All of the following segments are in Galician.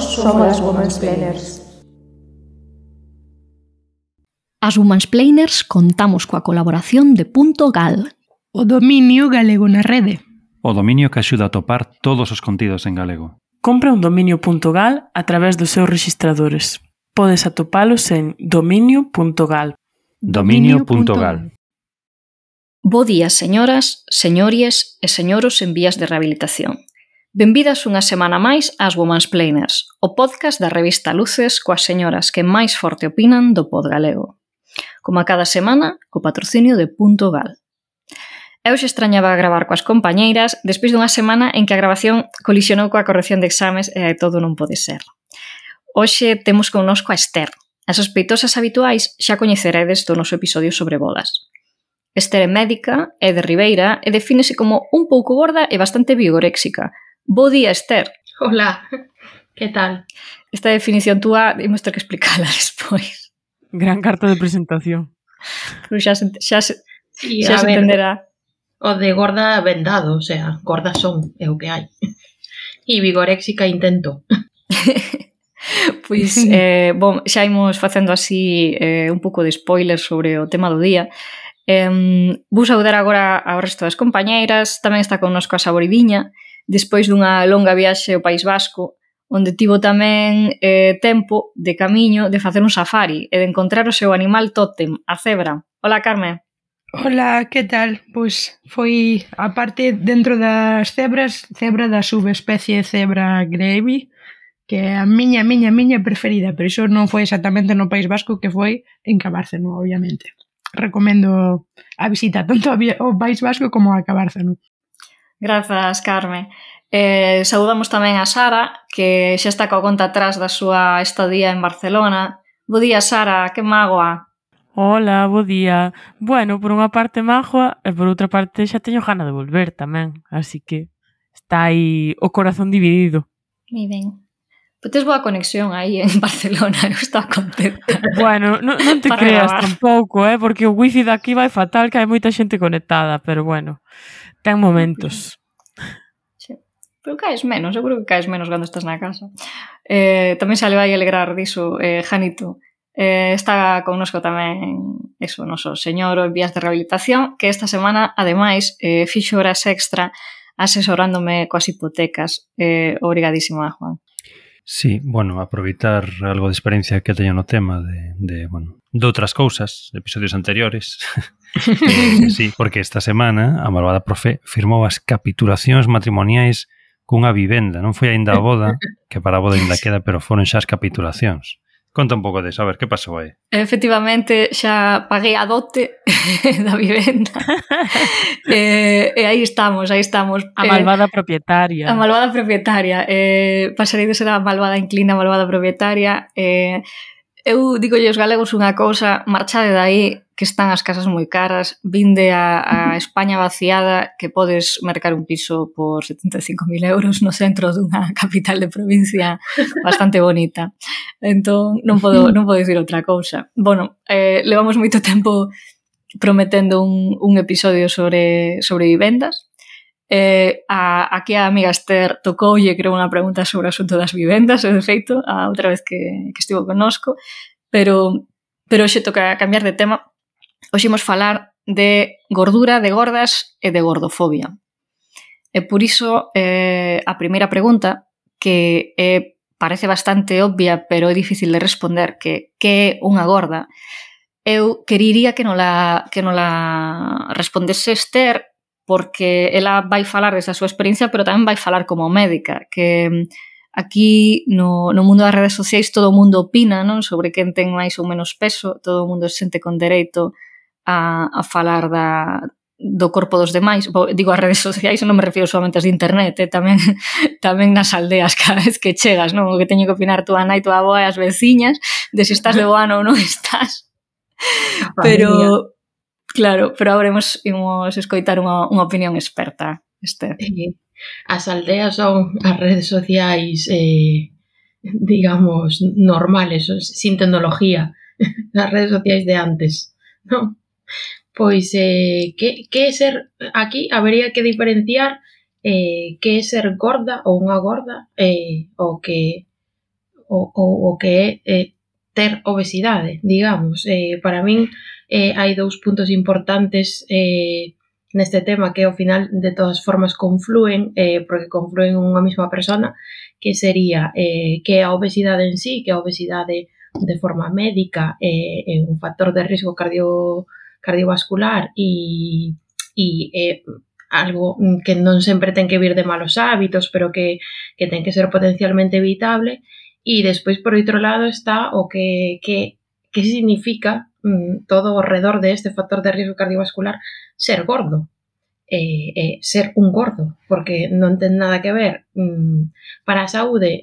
somos as Womansplainers. As Womansplainers contamos coa colaboración de .gal, o dominio galego na rede. O dominio que axuda a topar todos os contidos en galego. Compra un dominio.gal a través dos seus rexistradores. Podes atopalos en dominio.gal. Dominio.gal. Bo día, señoras, señories e señoros en vías de rehabilitación. Benvidas unha semana máis ás Womansplainers, o podcast da revista Luces coas señoras que máis forte opinan do pod galego. Como a cada semana, co patrocinio de .gal. Eu xe extrañaba gravar coas compañeiras despois dunha semana en que a grabación colisionou coa corrección de exames e todo non pode ser. Hoxe temos connosco a Esther. As sospeitosas habituais xa coñeceredes do noso episodio sobre bodas. Esther é médica, é de Ribeira e defínese como un pouco gorda e bastante vigoréxica. Bo día, Esther. Hola, que tal? Esta definición túa imos ter que explicala despois. Gran carta de presentación. Pero xa se Sí, entenderá. O de gorda vendado, o sea, gordas son, é o que hai. E vigoréxica intento. Pois, bom, xa imos facendo así un pouco de spoiler sobre o tema do día. Vou saudar agora ao resto das compañeiras. Tamén está connosco a Saboridiña, despois dunha longa viaxe ao País Vasco, onde tivo tamén tempo de camiño de facer un safari e de encontrar o seu animal tótem, a cebra. Hola, Carmen. Hola, que tal? Pois foi, a parte dentro das cebras, cebra da subespecie cebra gravy, que é a miña preferida, pero iso non foi exactamente no País Vasco, que foi en Cabárceno, obviamente. Recomendo a visita tanto ao País Vasco como a Cabárceno. Grazas, Carmen. Saudamos tamén a Sara, que xa está coa conta atrás da súa estadía en Barcelona. Bo día, Sara, que mágoa. Hola, bo día. Bueno, por unha parte mágoa e por outra parte xa teño gana de volver tamén, así que está aí o corazón dividido. Moi ben. Pois tes boa conexión aí en Barcelona, eu estaba contenta. Bueno, non te creas gravar. tampouco, porque o wifi daqui vai fatal, que hai moita xente conectada, pero bueno, ten momentos. Sí. Pero caes menos, seguro que caes menos cando estás na casa. Tamén se le vai alegrar diso, Janito. Está connosco tamén eso, noso señor en vías de rehabilitación, que esta semana, ademais, fixo horas extra asesorándome coas hipotecas. Obrigadísima, Juan. Sí, bueno, aproveitar algo de experiencia que teño no tema de outras cousas, de episodios anteriores. Sí, porque esta semana a malvada profe firmou as capitulacións matrimoniais cunha vivenda. Non foi aínda a boda, que para a boda aínda queda, pero foron xa as capitulacións. Conta un pouco deso, a ver, que pasou aí? Efectivamente, xa paguei a dote da vivenda. E aí estamos. A malvada propietaria. A malvada propietaria. Pasarei de ser a malvada inclina, a malvada propietaria. Eu digo os galegos unha cousa, marchade dai, que están as casas moi caras, vinde a España vaciada, que podes mercar un piso por 75.000 euros no centro dunha capital de provincia bastante bonita. Entón, non podo dicir outra cousa. Bueno, levamos moito tempo prometendo un episodio sobre vivendas. Aquí a amiga Esther tocoulle, creo, unha pregunta sobre o asunto das vivendas, de feito, a outra vez que estivo connosco, pero hoxe toca cambiar de tema. Hoxe imos falar de gordura, de gordas e de gordofobia. E por iso, a primeira pregunta, que parece bastante obvia, pero é difícil de responder, que é unha gorda, eu queriría que non la respondese Esther, porque ela vai falar desa súa experiencia, pero tamén vai falar como médica, que aquí no mundo das redes sociais todo o mundo opina, non, sobre quen ten máis ou menos peso, todo o mundo se sente con dereito a falar do corpo dos demais. Digo as redes sociais, non me refiro solamente ás de internet, tamén nas aldeas cada vez que chegas, non, o que teño que opinar túa nai, túa avoa e as veciñas de se estás de boa ou non estás. Pero claro, pero agora imos escoitar unha opinión experta, Esther. As aldeas son as redes sociais, digamos, normales, sin tecnología, as redes sociais de antes, non? Pois, que é ser, aquí habería que diferenciar que é ser gorda ou unha gorda, o que o que é ter obesidade, digamos. Para min hai dous puntos importantes neste tema que ao final de todas formas confluen, porque confluen en unha mesma persona, que sería que a obesidade en sí, que a obesidade de forma médica é un factor de risco cardiovascular e algo que non sempre ten que vir de malos hábitos, pero que ten que ser potencialmente evitable. E despois, por outro lado, está o que significa todo ao redor de este factor de risco cardiovascular ser gordo. Ser un gordo, porque non ten nada que ver. Para a saúde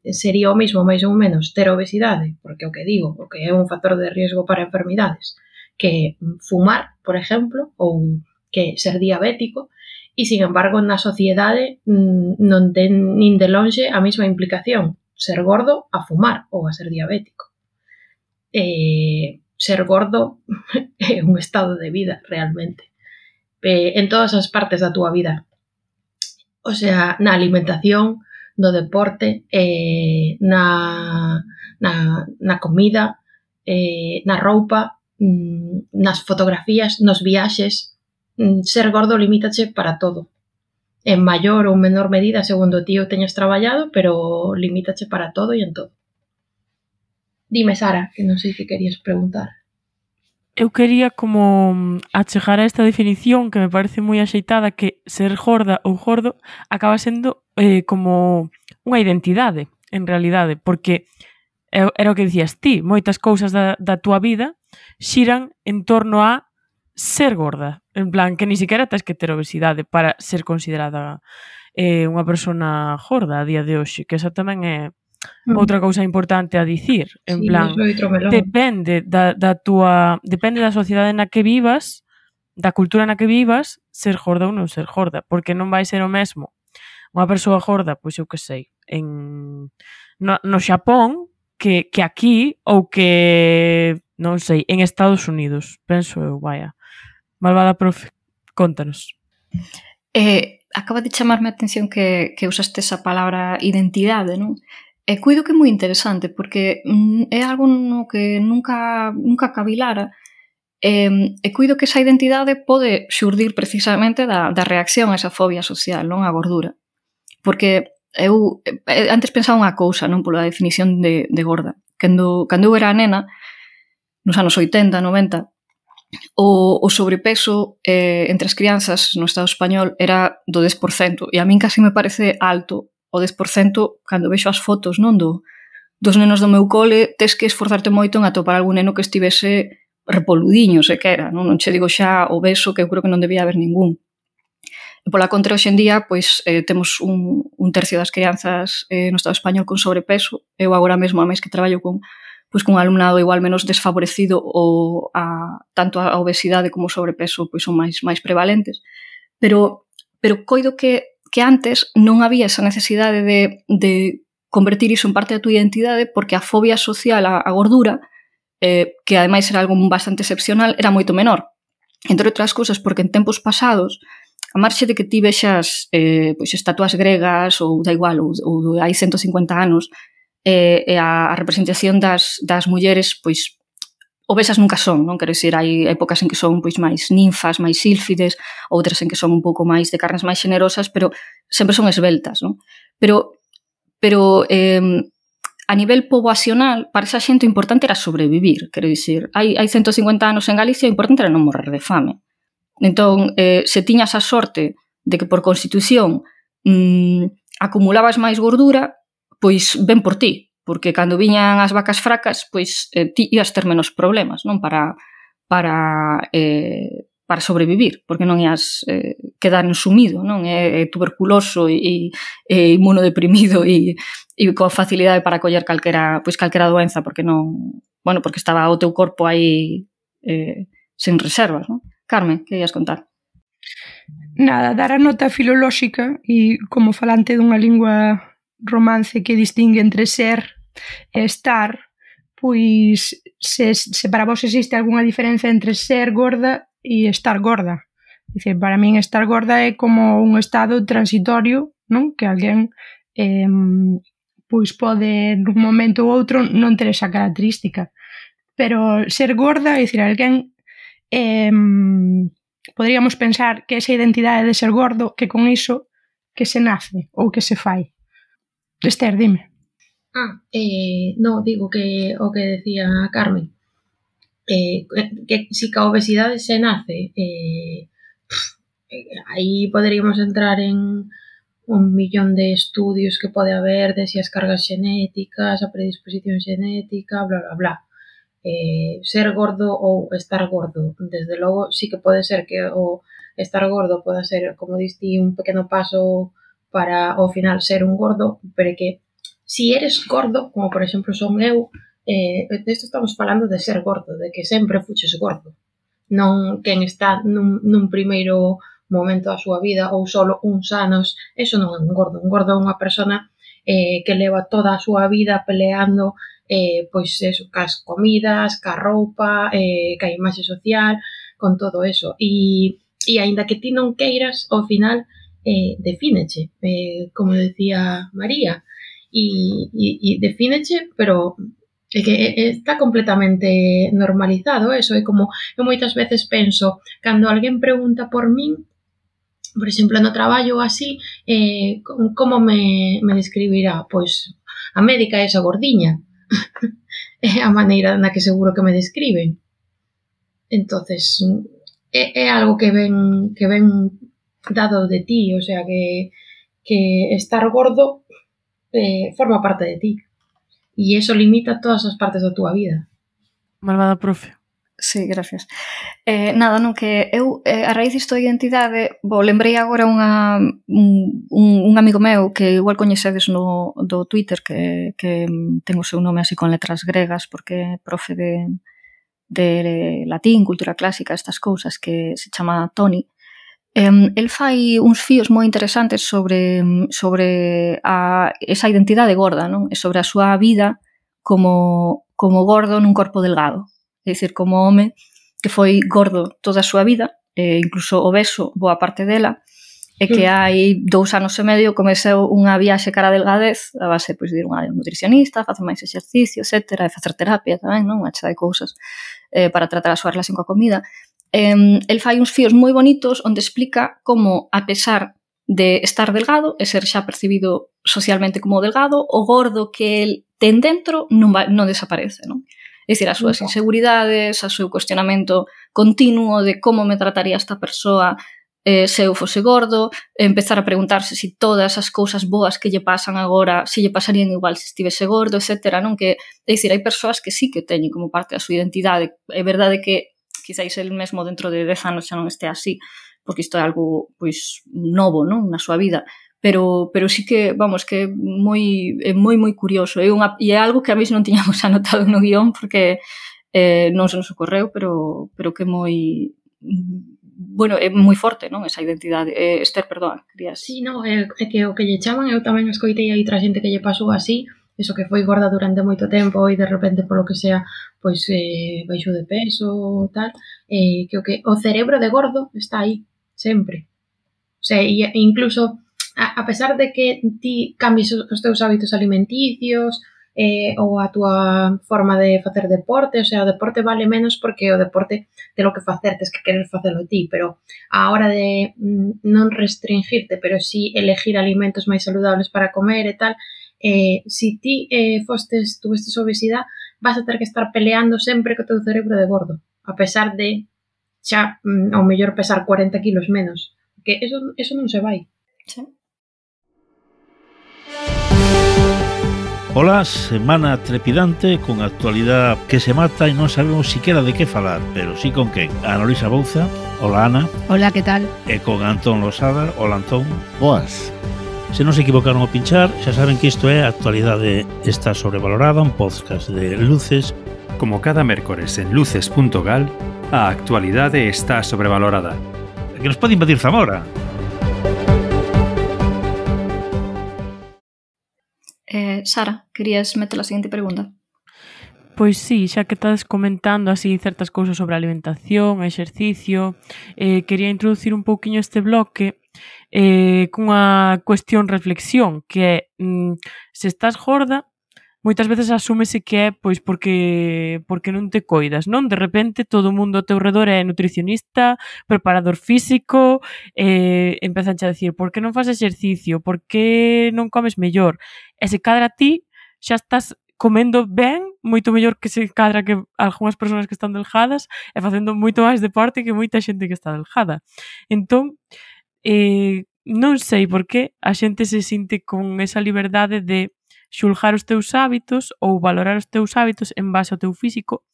sería o mesmo, máis ou menos, ter obesidade, porque o que digo, o que é un factor de riesgo para enfermidades, que fumar, por exemplo, ou que ser diabético, e, sin embargo, na sociedade non ten nin de lonxe a mesma implicación ser gordo a fumar ou a ser diabético. Ser gordo é un estado de vida, realmente. En todas as partes da túa vida. O sea, na alimentación, no deporte, na comida, na roupa, nas fotografías, nos viaxes. Ser gordo limítache para todo. En maior ou menor medida, segundo ti o teñas traballado, pero limítache para todo e en todo. Dime, Sara, que non sei que querías preguntar. Eu quería como achegar a esta definición que me parece moi axeitada, que ser gorda ou gordo acaba sendo como unha identidade, en realidade, porque era o que dicías ti, moitas cousas da túa vida xiran en torno a ser gorda, en plan que ni siquiera tens que ter obesidade para ser considerada unha persona gorda a día de hoxe, que esa tamén é outra cousa importante a dicir, en plan, depende depende da sociedade na que vivas, da cultura na que vivas, ser gorda ou non ser gorda, porque non vai ser o mesmo unha persoa gorda, pois eu que sei, no Xapón que aquí, ou que non sei, en Estados Unidos, penso eu, vaya. Malvada profe, contanos. Acaba de chamarme a atención que usaste esa palabra identidade, non? E cuido que é moi interesante, porque é algo no que nunca cavilara, e cuido que esa identidade pode xurdir precisamente da reacción a esa fobia social, non? A gordura. Porque eu antes pensaba unha cousa, non? Pola definición de gorda. Cando eu era nena, nos anos 80, 90, o sobrepeso entre as crianzas no Estado español era do 10%, e a min casi me parece alto o 10% cando vexo as fotos, non, dos nenos do meu cole. Tes que esforzarte moito en atopar algún neno que estivese repoludiño, sequera, non che digo xa obeso, que eu creo que non debía haber ningún. E pola contra, hoxe en día, pois temos un tercio das crianzas no Estado español con sobrepeso. Eu agora mesmo, a mes que traballo con un alumnado igual menos desfavorecido, tanto a obesidade como o sobrepeso pois son máis prevalentes. Pero coido que antes non había esa necesidade de convertir iso en parte da túa identidade, porque a fobia social á gordura, que ademais era algo bastante excepcional, era moito menor. Entre outras cousas, porque en tempos pasados, a marxe de que ti vexas pois estatuas gregas ou da igual, ou hai 150 anos, e a representación das mulleres pois obesas nunca son, non? Quero dicir, hai épocas en que son pois máis ninfas, máis sílfides, outras en que son un pouco máis de carnes máis xenerosas, pero sempre son esbeltas, non? Pero a nivel poboacional, para esa xente o importante era sobrevivir, quero dicir, hai 150 anos en Galicia o importante era non morrer de fame. Entón, se tiñas a sorte de que por constitución acumulabas máis gordura, pois ben por ti, porque cando viñan as vacas fracas, pois ti ibas ter menos problemas, non? Para sobrevivir, porque non ias quedar ensumido, non? É tuberculoso e inmunodeprimido e con facilidade para coller calquera doenza, porque non, porque estaba o teu corpo aí sen reservas, non? Carmen, que ias contar? Nada, dar a nota filolóxica e como falante dunha lingua romance que distingue entre ser e estar, pois se para vos existe algunha diferenza entre ser gorda e estar gorda. Dicir, para min estar gorda é como un estado transitorio, non? Que alguén pois pode nun momento ou outro non ter esa característica. Pero ser gorda, é dicir, alguén poderíamos pensar que esa identidade de ser gordo, que con iso que se nace ou que se fai. Esther, dime. No, digo que o que decía Carmen, que si ca obesidade se nace, aí poderíamos entrar en un millón de estudios que pode haber de si as cargas xenéticas, a predisposición xenética, bla, bla, bla. Ser gordo ou estar gordo, desde logo sí que pode ser que o estar gordo poda ser, como diste, un pequeno paso para ao final ser un gordo, pero que si eres gordo, como por exemplo son eu, desto estamos falando de ser gordo, de que sempre fuches gordo, non quen está nun primeiro momento da súa vida ou solo uns anos, eso non é un gordo é unha persona que leva toda a súa vida peleando pois eso, cas comidas, ca roupa, ca imaxe social, con todo eso. E aínda que ti non queiras, ao final defíneche, como decía María, e defíneche, pero é que está completamente normalizado eso. É como, eu moitas veces penso, cando alguén pregunta por min, por exemplo, no traballo así, como me describirá? Pois a médica é esa gordiña. É a maneira na que seguro que me describen. Entonces, é algo que ven dado de ti, o sea, que estar gordo forma parte de ti. E eso limita todas as partes da túa vida. Malvada profe. Sí, gracias. Nada, non que eu, a raíz disto da identidade, lembrei agora un amigo meu que igual coñecedes do Twitter, que ten o seu nome así con letras gregas, porque é profe de latín, cultura clásica, estas cousas, que se chama Toni. El fai uns fíos moi interesantes sobre esa identidade gorda, non? E sobre a súa vida como gordo nun corpo delgado. É dicir, como home que foi gordo toda a súa vida, incluso obeso boa parte dela, e que hai 2 anos e medio comeceu unha viaxe cara a delgadez a base pois, de ir unha nutricionista, facer máis exercicio, etc., e facer terapia tamén, non? Unha chea de cousas para tratar a súa relación coa comida. El fai uns fíos moi bonitos onde explica como, a pesar de estar delgado e ser xa percibido socialmente como delgado, o gordo que el ten dentro non desaparece, non? É dicir, as súas inseguridades, o seu cuestionamento continuo de como me trataría esta persoa se eu fose gordo, empezar a preguntarse se todas as cousas boas que lle pasan agora, se lle pasarían igual se estivese gordo, etc. Non? Que, é dicir, hai persoas que sí que teñen como parte da súa identidade. É verdade que quizáis el mesmo dentro de 10 anos xa non este así, porque isto é algo pois novo, non? Na súa vida. Pero sí que, vamos, que é moi curioso. E é algo que a mí non tiñamos anotado no guión porque non se nos ocorreu, pero que é moi... Bueno, é moi forte, non? Esa identidade. Esther, perdón, querías... Sí, non, é que o que lle chaman, eu tamén escoitei aí outra xente que lle pasou así, eso que foi gorda durante moito tempo e de repente polo que sea, pois baixou de peso, tal, que o cerebro de gordo está aí, sempre. O sea, e incluso... A pesar de que ti cambies os teus hábitos alimenticios ou a túa forma de facer deporte, o sea, o deporte vale menos porque o deporte ten o que facer, tes que querer facelo ti, pero a hora de non restringirte, pero sí elegir alimentos máis saludables para comer e tal, si ti tuvestes obesidade, vas a ter que estar peleando sempre co teu cerebro de gordo, a pesar de xa ao mellor pesar 40 kilos menos, que eso non se vai. Sí. Ola, semana trepidante con actualidade que se mata e non sabemos siquiera de que falar, pero sí con quen. Ana Luisa Bouza, hola Ana. Hola, que tal? E con Antón Losada, hola Antón. Boas. Se non se equivocaron ao pinchar, xa saben que isto é Actualidade está sobrevalorada, un podcast de Luces. Como cada mércores en luces.gal, a actualidade está sobrevalorada. Que nos pode invadir Zamora. Sara, querías meter a seguinte pregunta? Pois sí, xa que estás comentando así certas cousas sobre a alimentación, exercicio, quería introducir un pouquiño este bloque cunha cuestión reflexión, que é se estás gorda, moitas veces asúmese que é pois porque non te coidas, non? De repente todo o mundo ao teu redor é nutricionista, preparador físico, empezan a decir por que non faz exercicio, por que non comes mellor? E se cadra ti, xa estás comendo ben, moito mellor que se cadra que algunhas persoas que están delgadas e facendo moito máis deporte que moita xente que está delgada. Entón, non sei por que a xente se sinte con esa liberdade de xulgar os teus hábitos ou valorar os teus hábitos en base ao teu físico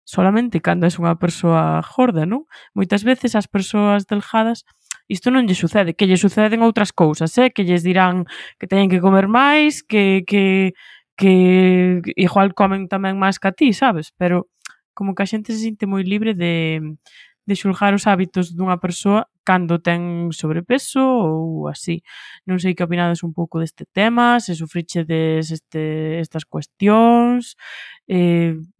solamente cando és unha persoa gorda, non? Moitas veces as persoas delgadas isto non lle sucede, que lle suceden outras cousas, que lles dirán que teñen que comer máis, que igual comen tamén máis que a ti, sabes? Pero como que a xente se sinte moi libre de xulgar os hábitos dunha persoa cando ten sobrepeso ou así. Non sei que opinades un pouco deste tema, se sufrichedes estas cuestións.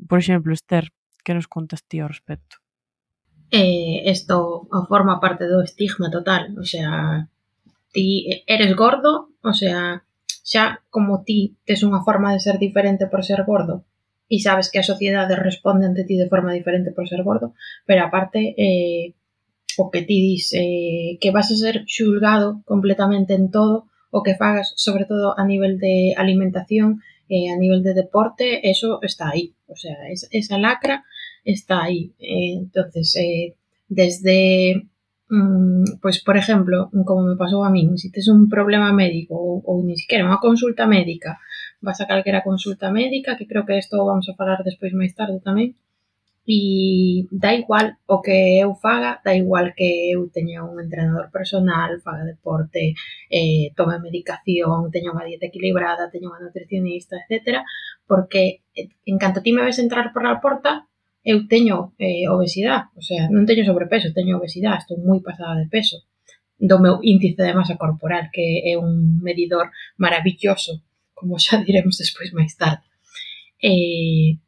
Por exemplo, Esther, que nos contas ti ao respecto? Esto forma parte do estigma total, o sea, ti eres gordo, o sea, xa como ti tes unha forma de ser diferente por ser gordo e sabes que a sociedade responde ante ti de forma diferente por ser gordo, pero aparte o que ti dis que vas a ser xulgado completamente en todo o que fagas, sobre todo a nivel de alimentación, a nivel de deporte, eso está aí, o sea, esa lacra está aí. Entonces, desde pois, por exemplo, como me pasou a min, se tes un problema médico ou ni siquiera unha consulta médica, vas a calquera consulta médica, que creo que isto vamos a falar despois máis tarde tamén, e dá igual o que eu faga, dá igual que eu teña un entrenador personal, faga deporte, tome medicación, teña unha dieta equilibrada, teña unha nutricionista, etc. Porque en canto ti me ves entrar por a porta, eu teño obesidade, o sea, non teño sobrepeso, teño obesidade, estou moi pasada de peso do meu índice de masa corporal, que é un medidor maravilloso, como xa diremos despois máis tarde.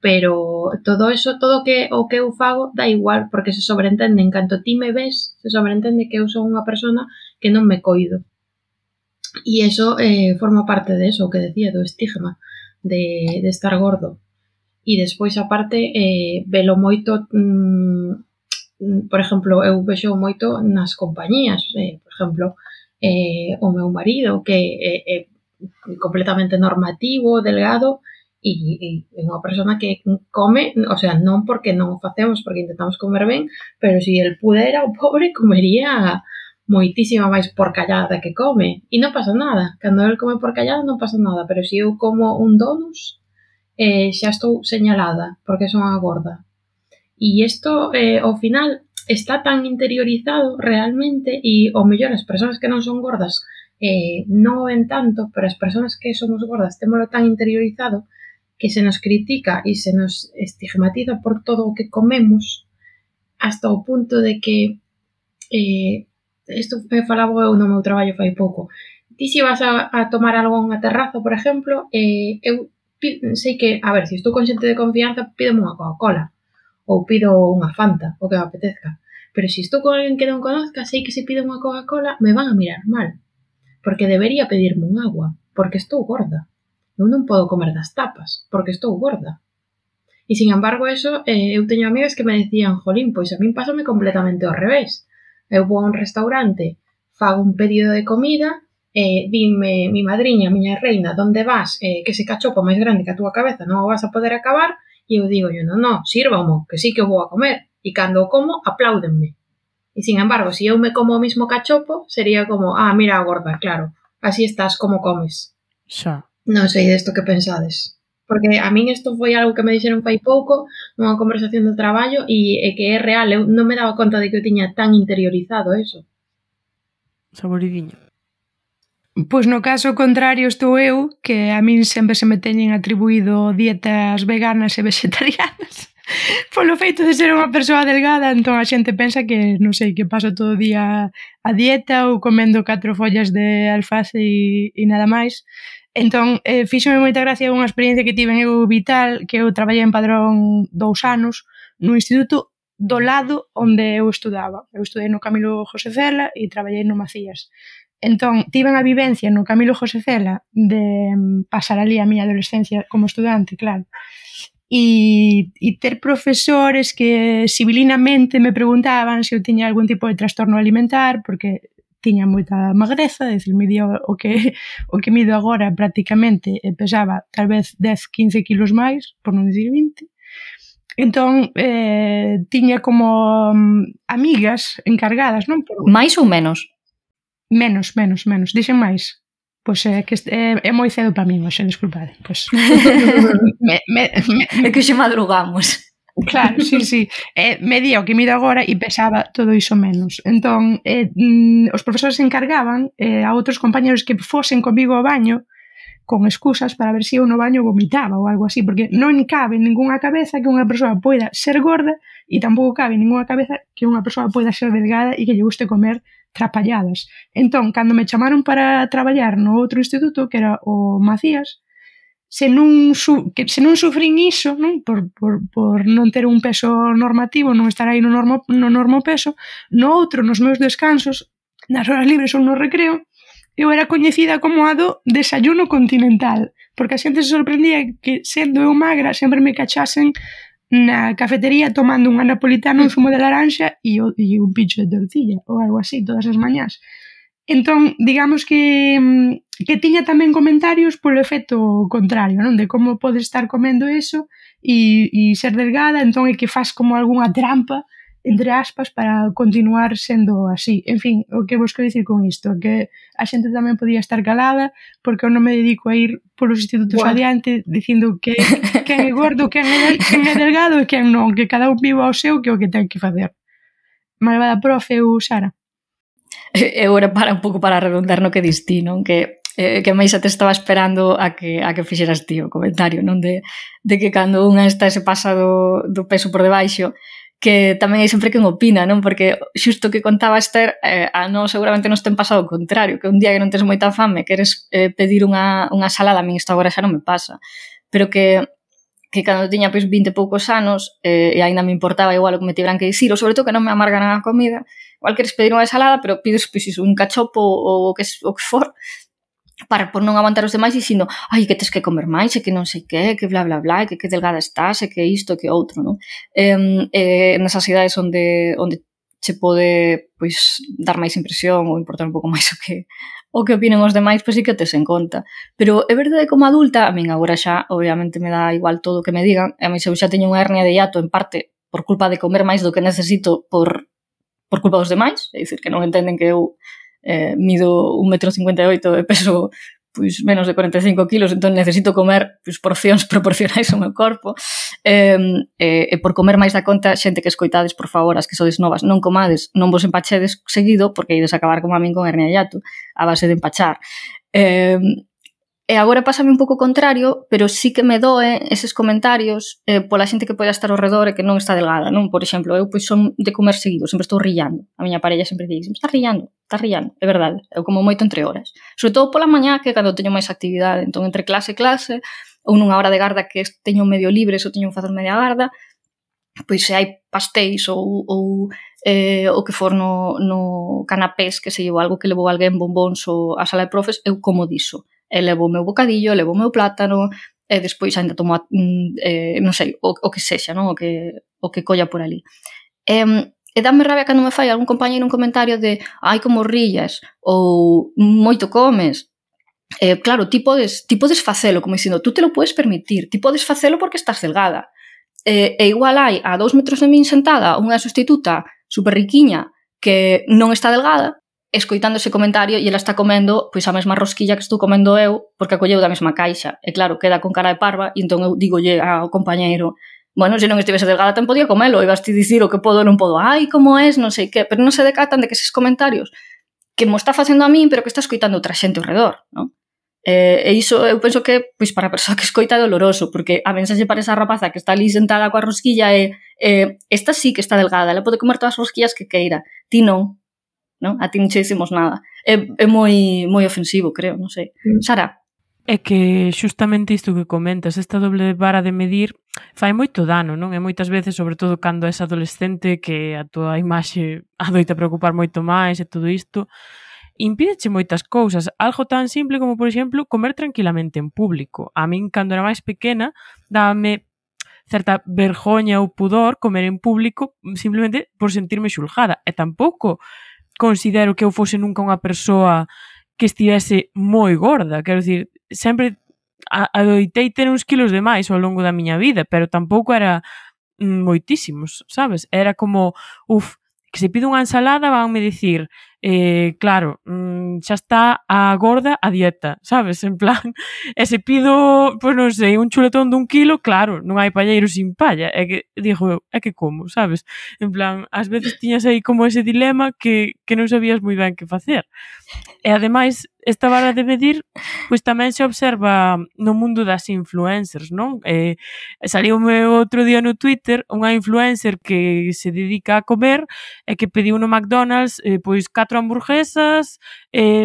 Pero todo eso, todo o que eu fago dá igual, porque se sobreentende en canto ti me ves, se sobreentende que eu son unha persona que non me coido. E iso forma parte de eso, o que decía, do estigma de estar gordo. E despois, aparte, velo moito, por exemplo, eu vexo moito nas compañías, por exemplo, o meu marido, que é completamente normativo, delgado, e unha persona que come, o sea, non porque non o facemos, porque intentamos comer ben, pero se el pudera, o pobre comería moitísima máis porcallada que come, e non pasa nada, cando el come porcallada non pasa nada, pero se eu como un donus, xa estou señalada, porque son a gorda. E isto, ao final, está tan interiorizado realmente, e ao mellor as persoas que non son gordas non o ven tanto, pero as persoas que somos gordas témolo tan interiorizado que se nos critica e se nos estigmatiza por todo o que comemos hasta o punto de que isto me falaba eu no meu traballo fai pouco. Ti se vas a tomar algo en unha terraza, por exemplo, eu sei que, a ver, se estou con xente de confianza, pídome unha Coca-Cola ou pido unha Fanta, o que me apetezca. Pero se estou con alguén que non conozca, sei que se pido unha Coca-Cola me van a mirar mal, porque debería pedirme un agua, porque estou gorda. Eu non podo comer das tapas, porque estou gorda. E, sin embargo, eso, eu teño amigas que me decían, jolín, pois a min pásame completamente ao revés. Eu vou a un restaurante, fago un pedido de comida, dime, mi madriña, miña reina, donde vas? Que ese cachopo máis grande que a túa cabeza non o vas a poder acabar, e eu digo, non, sírvamo, que sí que o vou a comer. E cando o como, apláudenme. E, sin embargo, se eu me como o mismo cachopo, sería como, mira a gorda, claro, así estás como comes. Xa. Non sei desto que pensades. Porque a min isto foi algo que me dixeron fai pouco nunha conversación do traballo e que é real, eu non me daba conta de que eu tiña tan interiorizado eso. Saboridinho. Pois no caso contrario estou eu, que a min sempre se me teñen atribuído dietas veganas e vegetarianas polo feito de ser unha persoa delgada, entón a xente pensa que, non sei, que paso todo o día a dieta ou comendo 4 follas de alface e nada máis. Entón, fíxome moita gracia unha experiencia que tive en eu vital, que eu traballei en Padrón 2 anos, no instituto do lado onde eu estudaba. Eu estudei no Camilo José Cela e traballei no Macías. Entón, tiven a vivencia no Camilo José Cela de pasar ali a miña adolescencia como estudante, claro. E ter profesores que civilinamente me preguntaban se eu tiña algún tipo de trastorno alimentar, porque tiña moita magreza, decir, midía o que mido agora prácticamente, pesaba tal vez 10-15 kilos máis, por non dicir 20. Entón, tiña como amigas encargadas, non? Mais ou menos? Menos. Dixen máis. Pois é que é moi cedo para min, hoxe, desculpade. Pois. É que xe madrugamos. Claro, sí. Medía o que mido agora e pesaba todo iso menos. Entón, os profesores se encargaban a outros compañeros que fosen comigo ao baño con excusas para ver se eu no baño vomitaba ou algo así, porque non cabe en ninguna cabeza que unha persoa poida ser gorda e tampouco cabe en ninguna cabeza que unha persoa poida ser delgada e que lle guste comer trapalladas. Entón, cando me chamaron para traballar no outro instituto, que era o Macías, se non sufrín iso, non? Por non ter un peso normativo, non estar aí no normo peso, no outro, nos meus descansos, nas horas libres ou no recreo, eu era coñecida como a do desayuno continental, porque a xente se sorprendía que, sendo eu magra, sempre me cachasen na cafetería tomando unha napolitana, un zumo de laranxa e un pincho de tortilla, ou algo así, todas as mañás. Entón, digamos que tiña tamén comentarios polo efecto contrario, non? De como podes estar comendo eso e ser delgada, entón é que faz como algunha trampa, entre aspas, para continuar sendo así. En fin, o que vos quero dicir con isto, que a xente tamén podía estar calada, porque eu non me dedico a ir polos institutos adiante dicindo que quen é gordo, quen é delgado e quen non, que cada un viva o seu, que é o que ten que facer. Malvada profe, eu, Sara. Eu era un pouco para redondar no que dis ti, non? Que máis te estaba esperando a que fixeras ti o comentario, non? De que cando unha está se pasa do peso por debaixo, que tamén hai sempre quen opina, non? Porque xusto que contaba Esther, a non seguramente nos ten pasado o contrario, que un día que non tes moita fame, queres pedir unha salada, a min isto agora xa non me pasa, pero que cando tiña pois 20 e poucos anos e aínda me importaba igual o que me tiveran que dicir, ou sobre todo que non me amargan a comida, igual queres pedir unha ensalada, pero pides pois iso, un cachopo ou o que for, para por non aguantar os demais dicindo, ai, que tes que comer máis, e que non sei que bla bla bla, e que delgada estás, e que isto, que outro, non? Nesas idades onde che pode pois dar máis impresión ou importar un pouco máis o que opinen os demais, pois sí que tes en conta. Pero é verdade, como adulta, a min agora xa obviamente me dá igual todo o que me digan, e a mí eu xa teño unha hernia de hiato en parte por culpa de comer máis do que necesito por culpa dos demais, é dicir, que non entenden que eu mido 1,58 m e peso pois menos de 45 kilos, entón necesito comer pois, porcións proporcionais ao meu corpo, e por comer máis da conta, xente que escoitades, por favor, as que sodes novas, non comades, non vos empachedes seguido, porque ides acabar como a min con hernia de hiato, a base de empachar. E agora pásame un pouco contrario, pero sí que me doe eses comentarios pola xente que pode estar ao redor e que non está delgada, non? Por exemplo, eu pois son de comer seguido, sempre estou rillando. A miña parella sempre dice, está rillando, é verdade. Eu como moito entre horas. Sobre todo pola mañá, que cando teño máis actividade, entón entre clase e clase, ou nunha hora de garda que teño medio libre, ou teño que facer media garda, pois se hai pastéis ou o que for no canapés, que se llevo algo que levou alguén, bombóns ou a sala de profes, eu como diso. E levo o meu bocadillo, levo o meu plátano, e despois ainda tomo, non sei, o que sexa, non? O que colla por ali. E dame rabia cando me fai algún compañeiro un comentario de ai, como rillas, ou moito comes. Claro, ti podes facelo, como dicindo, tú te lo puedes permitir, ti podes facelo porque estás delgada. E igual hai a 2 metros de min sentada unha sustituta super riquiña que non está delgada, escoitando ese comentario e ela está comendo pois a mesma rosquilla que estou comendo eu porque a colleu da mesma caixa. E claro, queda con cara de parva e entón eu digolle ao compañeiro, bueno, se non estivese delgada tan podía comelo, e vas ti dicir o que podo ou non podo, ai, como es, non sei que, pero non se decatan de que eses comentarios que mo está facendo a min, pero que está escoitando outra xente ao redor, non? E iso eu penso que pois para a persoa que escoita é doloroso, porque a mensaxe para esa rapaza que está ali sentada coa rosquilla esta sí que está delgada, ela pode comer todas as rosquillas que queira, ti non. Non? A ti non che dicimos nada. É moi ofensivo, creo, non sei. Sara? É que xustamente isto que comentas, esta doble vara de medir fai moito dano, non? E moitas veces, sobre todo cando és adolescente, que a tua imaxe adoita preocupar moito máis e todo isto, impídeche moitas cousas. Algo tan simple como, por exemplo, comer tranquilamente en público. A min, cando era máis pequena, dábame certa vergoña ou pudor comer en público simplemente por sentirme xulgada. E tampouco considero que eu fose nunca unha persoa que estivese moi gorda. Quero dicir, sempre adoitei ter uns kilos de máis ao longo da miña vida, pero tampouco era moitísimos, sabes? Era como, que se pido unha ensalada vanme dicir, claro, xa está a gorda a dieta, sabes? En plan, e se pido, pois non sei, un chuletón dun kilo, claro, non hai palleiro sin palla, é que, digo eu, é que como, sabes? En plan, ás veces tiñas aí como ese dilema que non sabías moi ben que facer. E ademais, esta vara de medir, pois tamén se observa no mundo das influencers, non? Saliume outro día no Twitter unha influencer que se dedica a comer e que pediu no McDonald's pois 4 hamburguesas,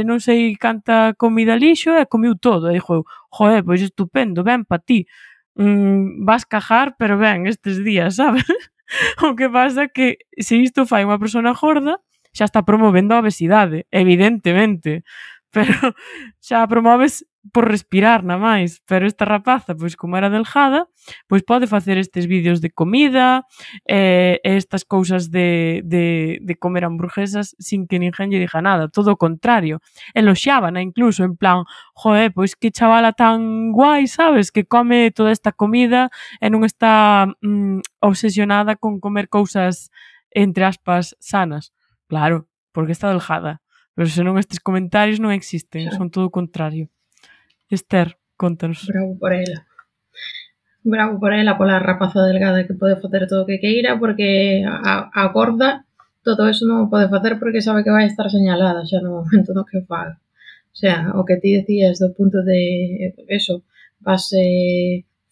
non sei canta comida lixo e comiu todo. E dixo eu, joder, pois estupendo, ben pa ti. Vas cajar, pero ben, estes días, sabes? O que pasa que se isto fai unha persona gorda, xa está promovendo a obesidade, evidentemente, pero xa a promoves por respirar na máis, pero esta rapaza, pois como era delgada, pois pode facer estes vídeos de comida, estas cousas de comer hamburguesas sin que ninguén lle diga nada, todo o contrario, eloxiábana incluso, en plan, joe, pois que chavala tan guai, sabes, que come toda esta comida e non está obsesionada con comer cousas, entre aspas, sanas. Claro, porque está delgada. Pero senón estes comentarios non existen, son todo o contrario. Esther, contanos. Bravo por ela. Bravo por ela, pola rapaza delgada que pode facer todo o que queira, porque a gorda todo eso non o pode facer porque sabe que vai estar señalada xa no momento no que faga. O sea, o que ti decías do punto de eso, vas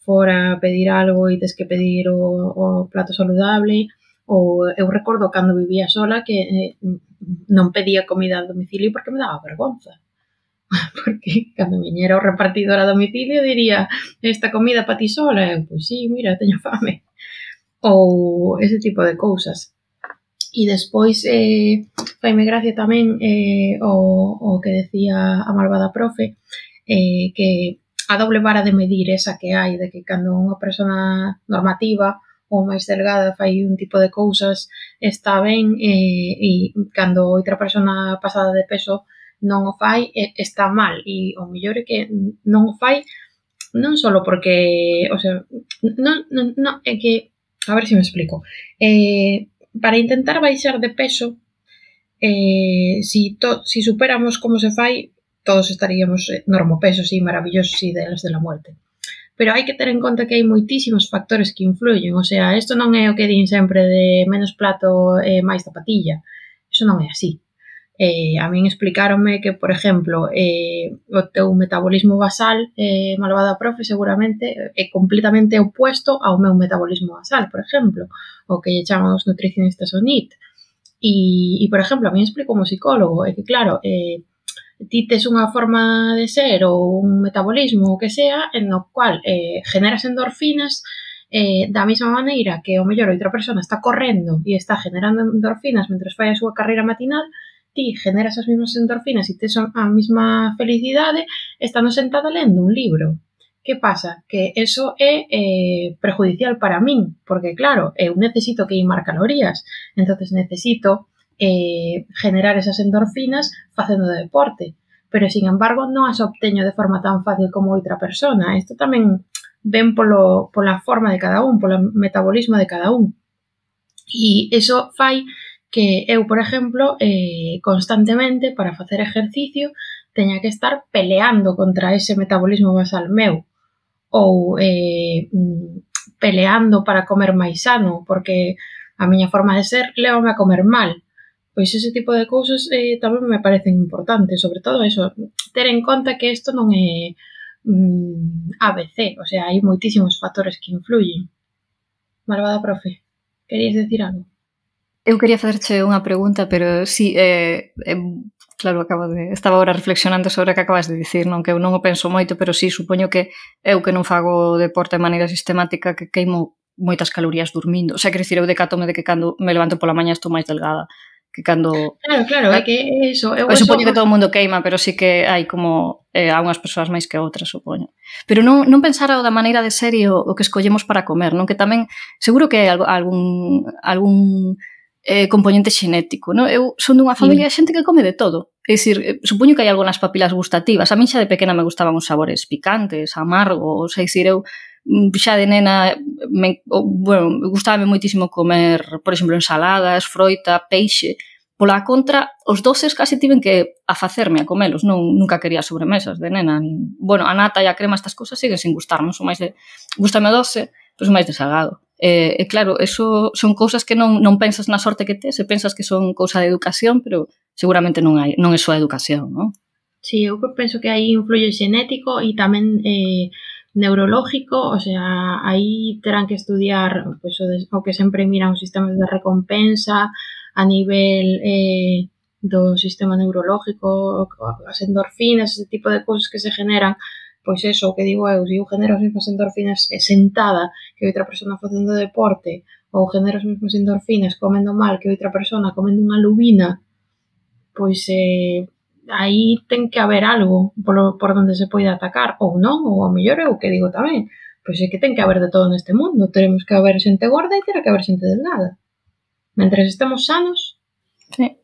fora a pedir algo e tes que pedir o plato saludable. Ou eu recordo cando vivía sola que non pedía comida a domicilio porque me daba vergonza. Porque cando viñera o repartidor a domicilio diría, esta comida pa ti sola? E pois sí, mira, teño fame. Ou ese tipo de cousas. E despois faime gracia tamén o que decía a malvada profe, que a doble vara de medir esa que hai, de que cando unha persona normativa ou máis delgada fai un tipo de cousas está ben e cando outra persona pasada de peso non o fai está mal e o mellor é que non o fai non só porque, o sea, non, é que, a ver se me explico, para intentar baixar de peso, si superamos como se fai, todos estaríamos normopesos e maravillosos ideales de la muerte. Pero hai que ter en conta que hai moitísimos factores que influyen, o sea, isto non é o que din sempre de menos plato e máis zapatilla, iso non é así. A min explicáronme que, por exemplo, o teu metabolismo basal, malvada profe, seguramente é completamente opuesto ao meu metabolismo basal, por exemplo, o que lle chaman os nutricionistas o NEAT. E por exemplo, a min explicou un psicólogo, é que claro, ti tes unha forma de ser ou un metabolismo o que sea en no cual generas endorfinas da mesma maneira que o mellor outra persona está correndo e está generando endorfinas mentre fai a súa carreira matinal, ti generas as mesmas endorfinas e tes a mesma felicidade estando sentada lendo un libro. Que pasa? Que eso é prejudicial para min, porque claro, eu necesito queimar calorías, entonces necesito generar esas endorfinas facendo de deporte, pero sin embargo non as obteño de forma tan fácil como outra persona. Isto tamén ven pola forma de cada un, polo metabolismo de cada un. E iso fai que eu, por exemplo, constantemente para facer exercicio teña que estar peleando contra ese metabolismo basal meu ou peleando para comer máis sano, porque a miña forma de ser lévame a comer mal. Pois ese tipo de cousas tamén me parecen importantes, sobre todo eso, ter en conta que isto non é ABC, o sea, hai moitísimos factores que influyen. Malvada profe, querías decir algo? Eu quería facerche unha pregunta, pero sí, Claro, estaba agora reflexionando sobre o que acabas de dicir, non que eu non o penso moito, pero sí, supoño que eu que non fago deporte de maneira sistemática que queimo moitas calorías dormindo. O sea, quero dicir, eu decátome de que cando me levanto pola mañá estou máis delgada que cando... Claro, é que eso... Eu supoño que todo o mundo queima, pero sí que hai como a unhas persoas máis que outras, supoño. Pero non pensar da maneira de serio o que escollemos para comer, non? Que tamén, seguro que hai algún componente xenético, non? Eu son dunha familia de xente que come de todo. É dicir, supoño que hai algunhas papilas gustativas. A min xa de pequena me gustaban os sabores picantes, amargos, é dicir, eu xa de nena gustábame moitísimo comer, por exemplo, ensaladas, froita, peixe. Pola contra, os doces casi tiven que afacerme a comelos, nunca quería sobremesas de nena. Bueno, a nata e a crema, estas cousas siguen sin gustarme, gústame o doce, pero son máis de salgado. E claro, eso son cousas que non pensas na sorte que tes, e pensas que son cousa de educación, pero seguramente non é só educación, non? Sí, eu penso que aí influye xenético e tamén neurológico, o sea, aí terán que estudiar pues, o que sempre miran os sistemas de recompensa a nivel do sistema neurológico, as endorfinas, ese tipo de cousas que se generan. Pois eso, o que digo eu, se eu genero as mesmas endorfinas sentada que outra persona facendo deporte, ou genero as mesmas endorfinas comendo mal que outra persona comendo unha lubina, pois aí ten que haber algo por onde se poida atacar, ou non, ou ao mellor é o que digo tamén, pois é que ten que haber de todo neste mundo, teremos que haber xente gorda e terá que haber xente delgada. Mentres estemos sanos, sí.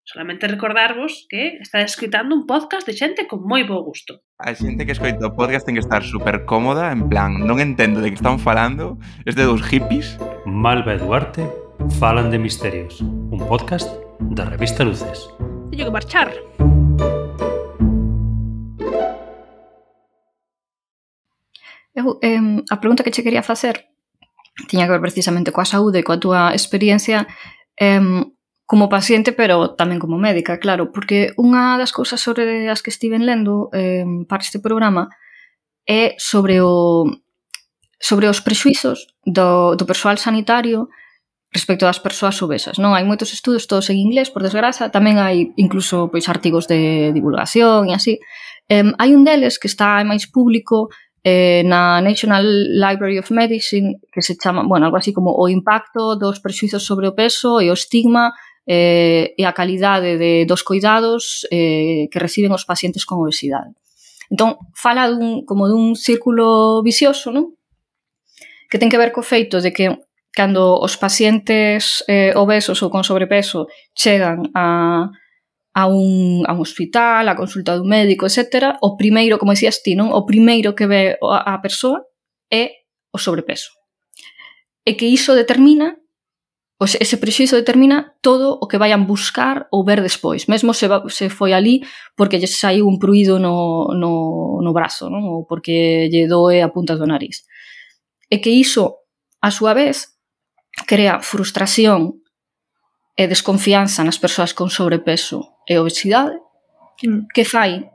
Solamente recordarvos que está escoitando un podcast de xente con moi bo gusto. A xente que escoita o podcast ten que estar super cómoda, en plan, non entendo de que están falando, este dos hippies. Malva e Duarte falan de misterios, un podcast da revista Luces. Teño que marchar. Eu, a pregunta que che quería facer tiña que ver precisamente coa saúde e coa túa experiencia como paciente, pero tamén como médica, claro, porque unha das cousas sobre as que estiven lendo para este programa é sobre os prexuizos do persoal sanitario respecto das persoas obesas, non? Hai moitos estudos, todos en inglés, por desgraza, tamén hai incluso pois artigos de divulgación e así. Hai un deles que está máis público na National Library of Medicine, que se chama, bueno, algo así como o impacto dos prexuizos sobre o peso e o estigma e a calidade dos cuidados que reciben os pacientes con obesidade. Entón, fala como dun círculo vicioso, non? Que ten que ver co feito de que cando os pacientes obesos ou con sobrepeso chegan a un hospital, a consulta dun médico, etc., o primeiro, como decías ti, non? O primeiro que ve a persoa é o sobrepeso. E que iso determina, ese prexuízo determina todo o que vayan buscar ou ver despois. Mesmo se foi ali porque lle saiu un pruído no brazo, non? Ou porque lle doe a punta do nariz. E que iso, a súa vez, crea frustración e desconfianza nas persoas con sobrepeso e obesidade, que fai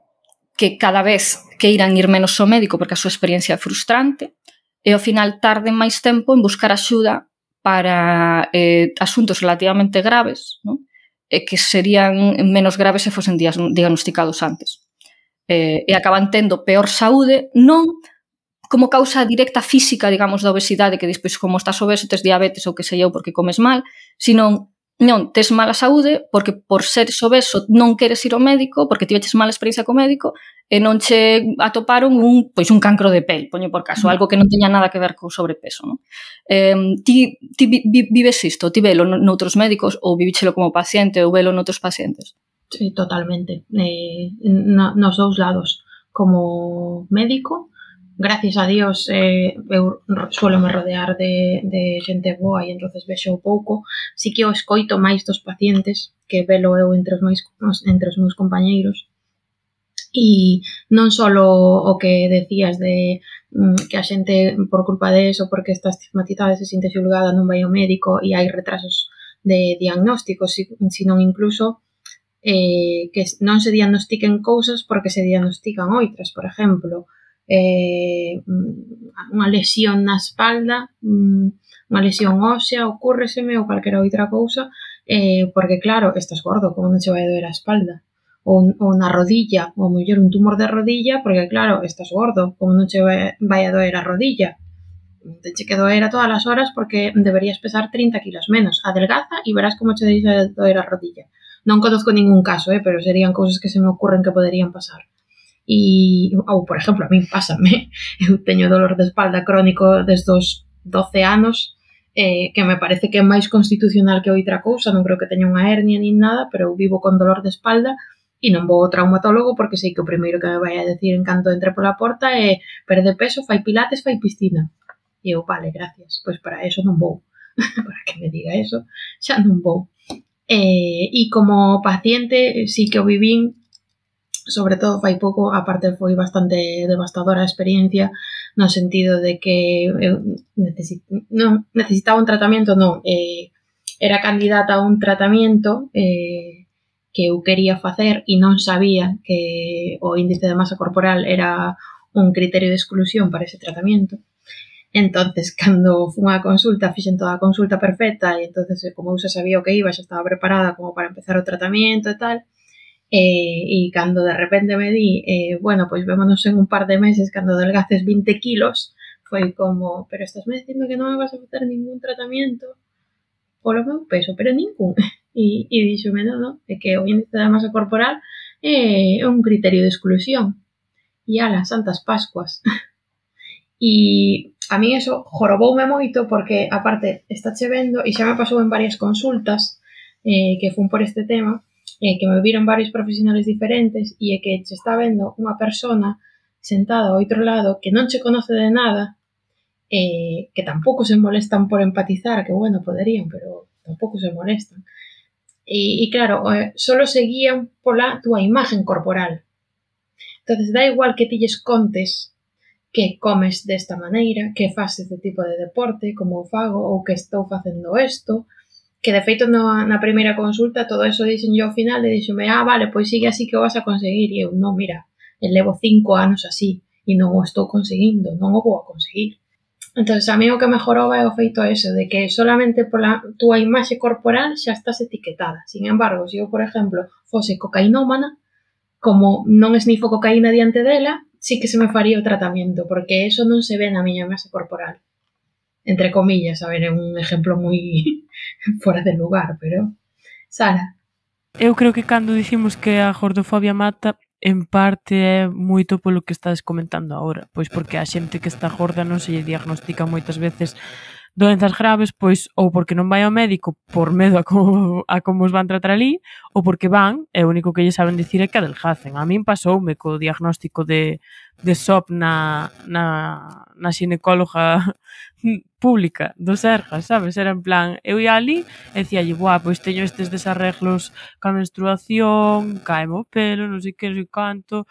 que cada vez queiran ir menos ao médico porque a súa experiencia é frustrante e ao final tarden máis tempo en buscar axuda para asuntos relativamente graves, non? E que serían menos graves se fosen diagnosticados antes. E acaban tendo peor saúde, non como causa directa física, digamos, da obesidade, que despois como estás obeso, tes diabetes ou que sei eu porque comes mal, sino non, tes mala saúde porque por seres obeso non queres ir ao médico, porque tiveches mala experiencia co médico e non che atoparon un cancro de pel, poño por caso, algo que non teña nada que ver co sobrepeso, non? Ti vives isto, ti velo noutros médicos ou vivíchelo como paciente ou velo noutros pacientes? Sí, totalmente. Nos dous lados. Como médico, gracias a Dios, eu suelo me rodear de xente boa e entonces vexo pouco. Sí que o escoito máis dos pacientes, que velo eu entre os meus compañeiros. E non só o que decías de que a xente, por culpa de eso, porque está estigmatizada, se siente xulgada, non vai ao médico e hai retrasos de diagnósticos, sino incluso que non se diagnostiquen cousas porque se diagnostican outras, por exemplo, unha lesión na espalda, unha lesión ósea, ocúrreseme ou calquera outra cousa, porque claro, estás gordo, como non se vai doer a espalda? ou na rodilla, ou mellor un tumor de rodilla, porque claro, estás gordo, como non che vai a doer a rodilla. Teche que doer a todas as horas porque deberías pesar 30 kilos menos. Adelgaza e verás como che deixa de doer a rodilla. Non conozco ningún caso, pero serían cousas que se me ocurren que poderían pasar. Ou, por exemplo, a min pásame, eu teño dolor de espalda crónico desde os 12 anos, que me parece que é máis constitucional que outra cousa, non creo que teña unha hernia nin nada, pero eu vivo con dolor de espalda e non vou ao traumatólogo porque sei que o primeiro que me vai a decir en canto entre pola porta é perde peso, fai pilates, fai piscina. E eu, vale, gracias, pois para eso non vou. Para que me diga eso, xa non vou. E como paciente sí que o vivín, sobre todo fai pouco, aparte foi bastante devastadora a experiencia no sentido de que eu necesitaba un tratamento, era candidata a un tratamento que eu quería facer e non sabía que o índice de masa corporal era un criterio de exclusión para ese tratamento. Entonces, cando fun á consulta, fixen toda a consulta perfecta e entonces, como eu xa sabía o que iba, xa estaba preparada como para empezar o tratamento e tal, e cando de repente me di bueno, pois vémonos en un par de meses cando adelgaces 20 kilos, foi como, pero estás me dicindo que non me vas a facer ningún tratamento polo meu peso, pero ningún. E díxome, non, é que o índice da masa corporal é un criterio de exclusión. E ala, santas pascuas. E a mí eso joroboume moito porque, aparte, está vendo, e xa me pasou en varias consultas que fun por este tema, que me viron varios profesionales diferentes e é que se está vendo unha persona sentada ao outro lado que non che conoce de nada, que tampouco se molestan por empatizar, que bueno, poderían, pero tampouco se molestan. E claro, solo seguían pola túa imagen corporal. Entonces, da igual que ti lles contes que comes desta maneira, que faz este tipo de deporte, como o fago, ou que estou facendo isto, que de feito na primeira consulta todo eso dixen yo ao final e dixome, vale, pois sigue así que o vas a conseguir, e eu, non, mira, levo 5 anos así e non o estou conseguindo, non o vou a conseguir. Entonces, a mí o que me joroba é o feito eso, de que solamente pola túa imaxe corporal xa estás etiquetada. Sin embargo, se eu, por exemplo, fose cocainómana, como non esnifo cocaína diante dela, sí que se me faría o tratamento, porque eso non se ve na miña masa corporal. Entre comillas, a ver, é un exemplo moi fora de lugar, pero... Sara? Eu creo que cando dicimos que a gordofobia mata, en parte é moito polo que estás comentando agora, pois porque a xente que está gorda non se lle diagnostica moitas veces doenzas graves, pois ou porque non vai ao médico por medo a como os van tratar ali, ou porque van, e o único que lle saben dicir é que adelgacen. A min pasoume co diagnóstico de SOP na xinecóloga pública do Sergas, sabes? Era en plan, eu ia ali e dicíalle, pois teño estes desarreglos ca menstruación, caeme o pelo, non sei que, non sei canto...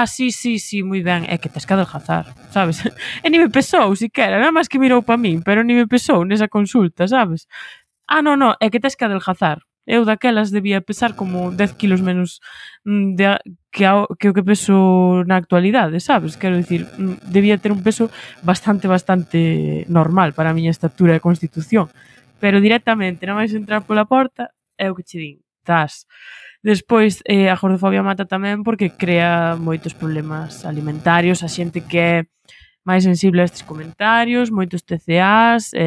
sí, moi ben, é que tes que adelgazar, sabes? E ni me pesou, siquera, nada máis que mirou pa min, pero ni me pesou nesa consulta, sabes? Non, é que tes que adelgazar. Eu daquelas debía pesar como 10 kilos menos que o que peso na actualidade, sabes? Quero dicir, debía ter un peso bastante normal para a miña estatura e constitución. Pero directamente, nada máis entrar pola porta, é o que che din, tas. Despois, a gordofobia mata tamén porque crea moitos problemas alimentarios, a xente que é máis sensible a estes comentarios, moitos TCAs,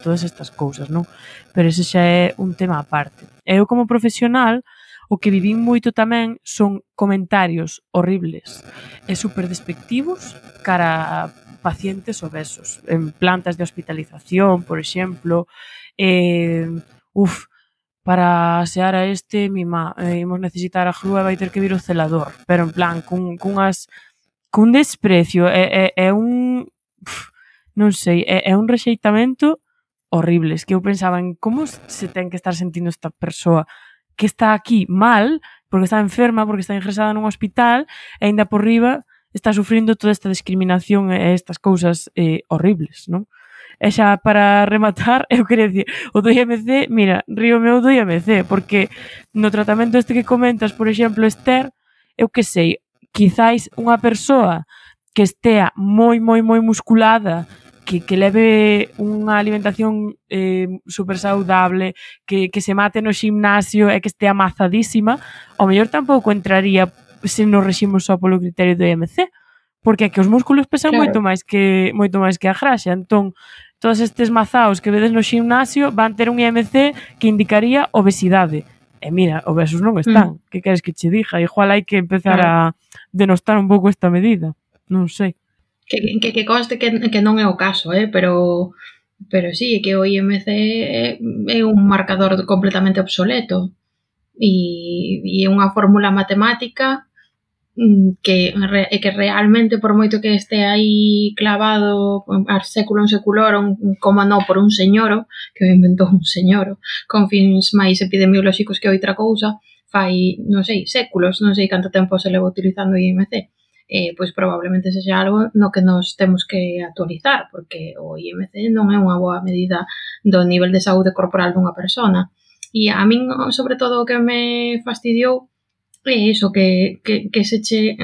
todas estas cousas, non? Pero ese xa é un tema aparte. Eu como profesional, o que vivín moito tamén son comentarios horribles e super despectivos cara a pacientes obesos, en plantas de hospitalización, por exemplo, para asear a imos necesitar a grúa e vai ter que vir o celador, pero en plan, cun desprecio, é un... non sei, é un rexeitamento horrible. Es que eu pensaba en como se ten que estar sentindo esta persoa que está aquí mal, porque está enferma, porque está ingresada nun hospital, e ainda por riba está sufrindo toda esta discriminación e estas cousas horribles, non? E xa para rematar, eu queria dicir, o do IMC, mira, río meu do IMC, porque no tratamento este que comentas, por exemplo, Esther, eu que sei, quizáis unha persoa que estea moi musculada que leve unha alimentación super saudable, que se mate no ximnasio e que estea amazadísima, ao mellor tampouco entraría se nos regimos só polo criterio do IMC, porque é que os músculos pesan moito máis que a graxa. Entón, todos estes mazaos que vedes no ximnasio van ter un IMC que indicaría obesidade. E mira, obesos non están. Que queres que che diga? Igual hai que empezar a denostar un pouco esta medida. Non sei. Que conste que non é o caso, pero sí, que o IMC é un marcador completamente obsoleto e é unha fórmula matemática que realmente, por moito que este aí clavado a século en seculorum, como non por un señoro, que o inventou un señoro, con fins máis epidemiolóxicos que outra cousa, fai, non sei, séculos, non sei canto tempo se leva utilizando o IMC, pois probablemente sexa algo no que nos temos que actualizar, porque o IMC non é unha boa medida do nivel de saúde corporal dunha persona. E a min, sobre todo, o que me fastidiou é iso, que se che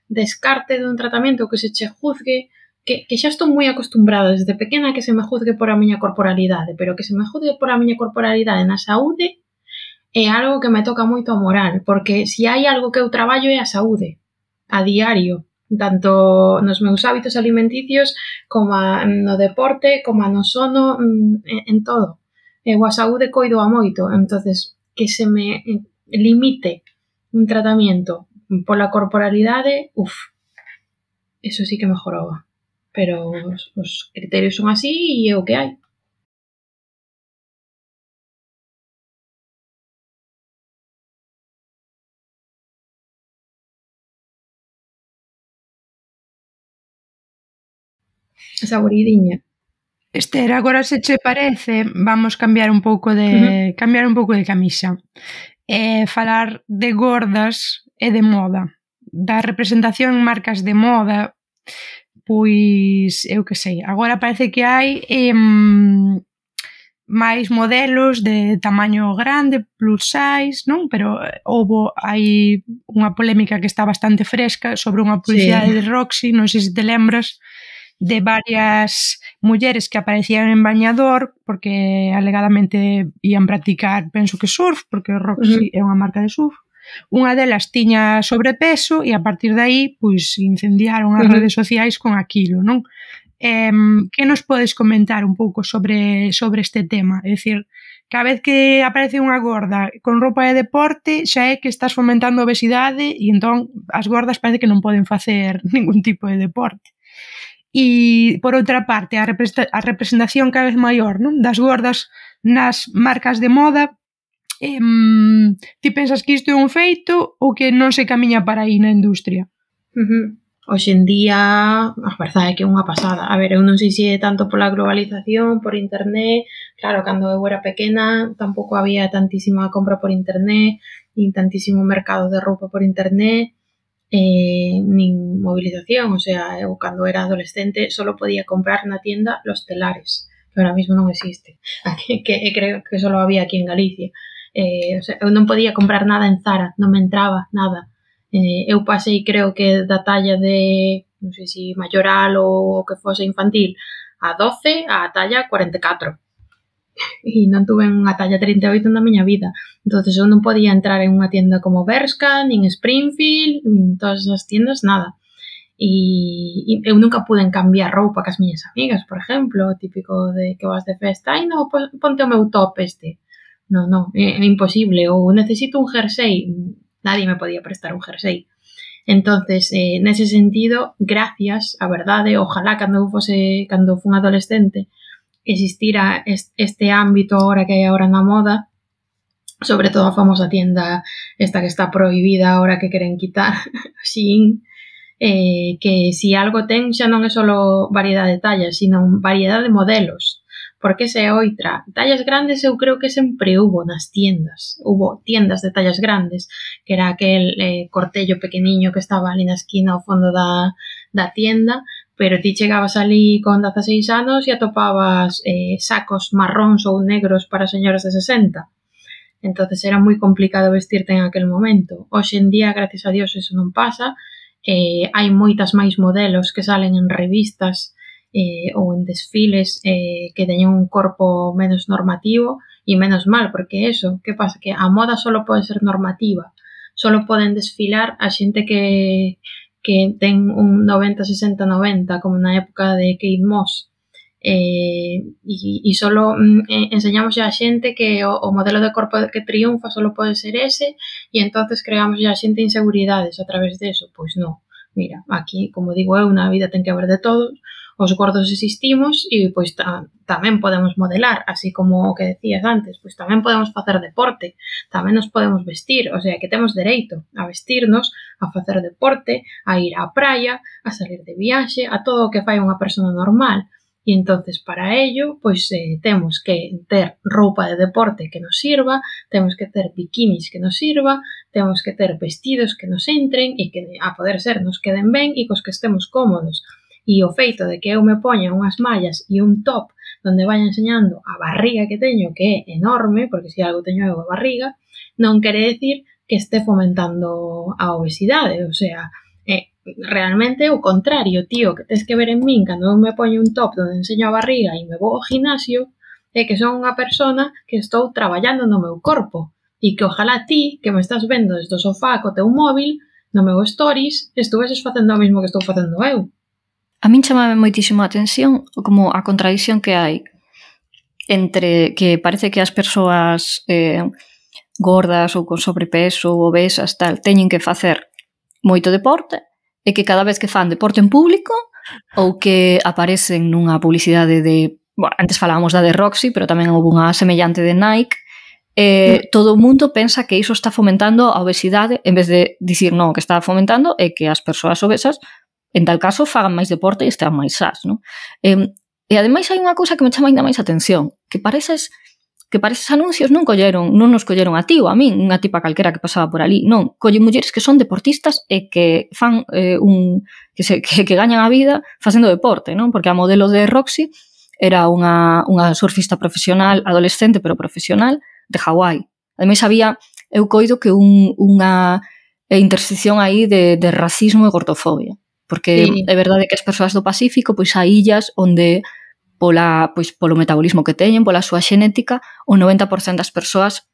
descarte dun tratamento, que se che juzgue, que xa estou moi acostumbrada desde pequena que se me juzgue por a miña corporalidade, pero que se me juzgue por a miña corporalidade na saúde é algo que me toca moito a moral, porque se hai algo que eu traballo é a saúde, a diario, tanto nos meus hábitos alimenticios, como no deporte, como no sono, en todo. Eu a saúde coido a moito, entonces que se me limite un tratamento pola corporalidade, eso sí que me joroba. Pero os criterios son así e é o que hai. Esa buridiña. Esther, agora se che parece, vamos cambiar un pouco de camisa. Falar de gordas e de moda, da representación en marcas de moda, pois, eu que sei, agora parece que hai máis modelos de tamaño grande, plus size, non? Pero hai unha polémica que está bastante fresca sobre unha publicidade de Roxy, non sei se te lembras, de varias mulleres que aparecían en bañador porque alegadamente ian practicar, penso que surf, porque Roxy é unha marca de surf. Unha delas tiña sobrepeso e a partir de aí pois incendiaron as redes sociais con aquilo, non? Que nos podes comentar un pouco sobre este tema? É dicir, cada vez que aparece unha gorda con roupa de deporte xa é que estás fomentando a obesidade e entón as gordas parece que non poden facer ningún tipo de deporte. E, por outra parte, a representación cada vez maior, non? Das gordas nas marcas de moda, ti pensas que isto é un feito ou que non se camiña para aí na industria? Hoxe en día, a verdade é que é unha pasada. A ver, eu non sei se é tanto pola globalización, por internet. Claro, cando eu era pequena tampouco había tantísima compra por internet, nin tantísimo mercado de roupa por internet, nin movilización, o sea, eu cando era adolescente solo podía comprar na tienda Los Telares, que ahora mismo non existe, que creo que solo había aquí en Galicia. O sea, eu non podía comprar nada en Zara, non me entraba nada. Eu pasei, creo que da talla de, non sei se mayoral ou que fose infantil, a 12 a talla 44. E non tuve unha talla 38 na miña vida. Entonces eu non podía entrar en unha tienda como Bershka, nin Springfield, nin todas esas tiendas, nada. E eu nunca pude cambiar roupa cas miñas amigas, por exemplo, típico de que vas de festa, ai non, ponte o meu top este. Non, é imposible. Ou necesito un jersey, nadie me podía prestar un jersey. Entonces, nese sentido, gracias, a verdade, ojalá cando fun adolescente existira este ámbito ahora que hai agora na moda, sobre todo a famosa tienda esta que está prohibida ahora que queren quitar, Shein, que si algo ten xa non é só variedade de tallas, sino variedade de modelos, porque esa é outra. Tallas grandes eu creo que sempre hubo nas tiendas, hubo tiendas de tallas grandes, que era aquel cortello pequeniño que estaba ali na esquina ao fondo da tienda, pero ti chegabas ali con 16 anos e atopabas sacos marróns ou negros para señoras de 60. Entonces era moi complicado vestirte en aquel momento. Hoxe en día, gracias a Dios, eso non pasa. Hai moitas máis modelos que salen en revistas ou en desfiles que teñen un corpo menos normativo, e menos mal, porque eso, que pasa? Que a moda solo pode ser normativa, solo poden desfilar a xente que ten un 90, 60, 90, como na época de Kate Moss, e solo enseñamos a xente que o modelo de corpo que triunfa solo pode ser ese, e entonces creamos a xente inseguridades a través de eso. Pois non, mira, aquí, como digo eu, na vida ten que haber de todos, os gordos existimos e pois tamén podemos modelar, así como o que decías antes, pois tamén podemos facer deporte, tamén nos podemos vestir, o sea, que temos dereito a vestirnos, a facer deporte, a ir á praia, a salir de viaxe, a todo o que fai unha persona normal. E entonces, para ello, pois temos que ter roupa de deporte que nos sirva, temos que ter bikinis que nos sirva, temos que ter vestidos que nos entren e que, a poder ser, nos queden ben e cos que estemos cómodos. E o feito de que eu me poña unhas mallas e un top onde vai enseñando a barriga que teño, que é enorme, porque se algo teño eu a barriga, non quere decir que este fomentando a obesidade, o sea, realmente o contrario, tío, que tes que ver en min cando eu me poño un top onde enseño a barriga e me vou ao gimnasio, é que son unha persona que estou traballando no meu corpo e que ojalá ti, que me estás vendo desde o sofá co teu móvil, no meu stories, estuveses facendo o mismo que estou facendo eu. A min chamame moitísimo a atención como a contradición que hai entre que parece que as persoas gordas ou con sobrepeso ou obesas tal teñen que facer moito deporte e que cada vez que fan deporte en público ou que aparecen nunha publicidade de... Bueno, antes falábamos da de Roxy, pero tamén houve unha semellante de Nike, todo o mundo pensa que iso está fomentando a obesidade en vez de dicir non, o que está fomentando é que as persoas obesas en tal caso fagan máis deporte e estean máis sás, non? E ademais hai unha cousa que me chama ainda máis atención, que para eses anuncios non nos colleron a ti ou a min, unha tipa calquera que pasaba por ali, non, collen mulleres que son deportistas e que fan que gañan a vida facendo deporte, non? Porque a modelo de Roxy era unha surfista profesional, adolescente pero profesional, de Hawái. Ademais había, eu coido que unha intersección aí de racismo e gordofobia. Porque sí, é verdade que as persoas do Pacífico pois hai illas onde polo metabolismo que teñen, pola súa xenética, o 90% das persoas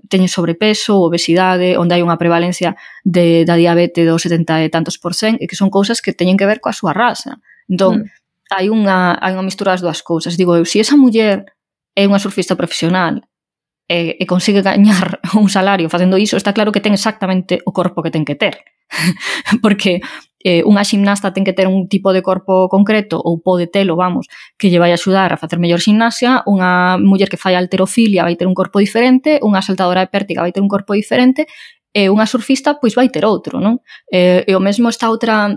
teñen sobrepeso ou obesidade, onde hai unha prevalencia da diabetes do 70 e tantos %, e que son cousas que teñen que ver coa súa raza. Entón, hai unha mistura das dúas cousas. Digo eu, se esa muller é unha surfista profesional e consigue gañar un salario facendo iso, está claro que ten exactamente o corpo que ten que ter. Porque unha ximnasta ten que ter un tipo de corpo concreto ou pode telo, vamos, que lle vai axudar a facer mellor ximnasia, unha muller que fai halterofilia vai ter un corpo diferente, unha saltadora de pértiga vai ter un corpo diferente e unha surfista pois vai ter outro, non? E o mesmo esta outra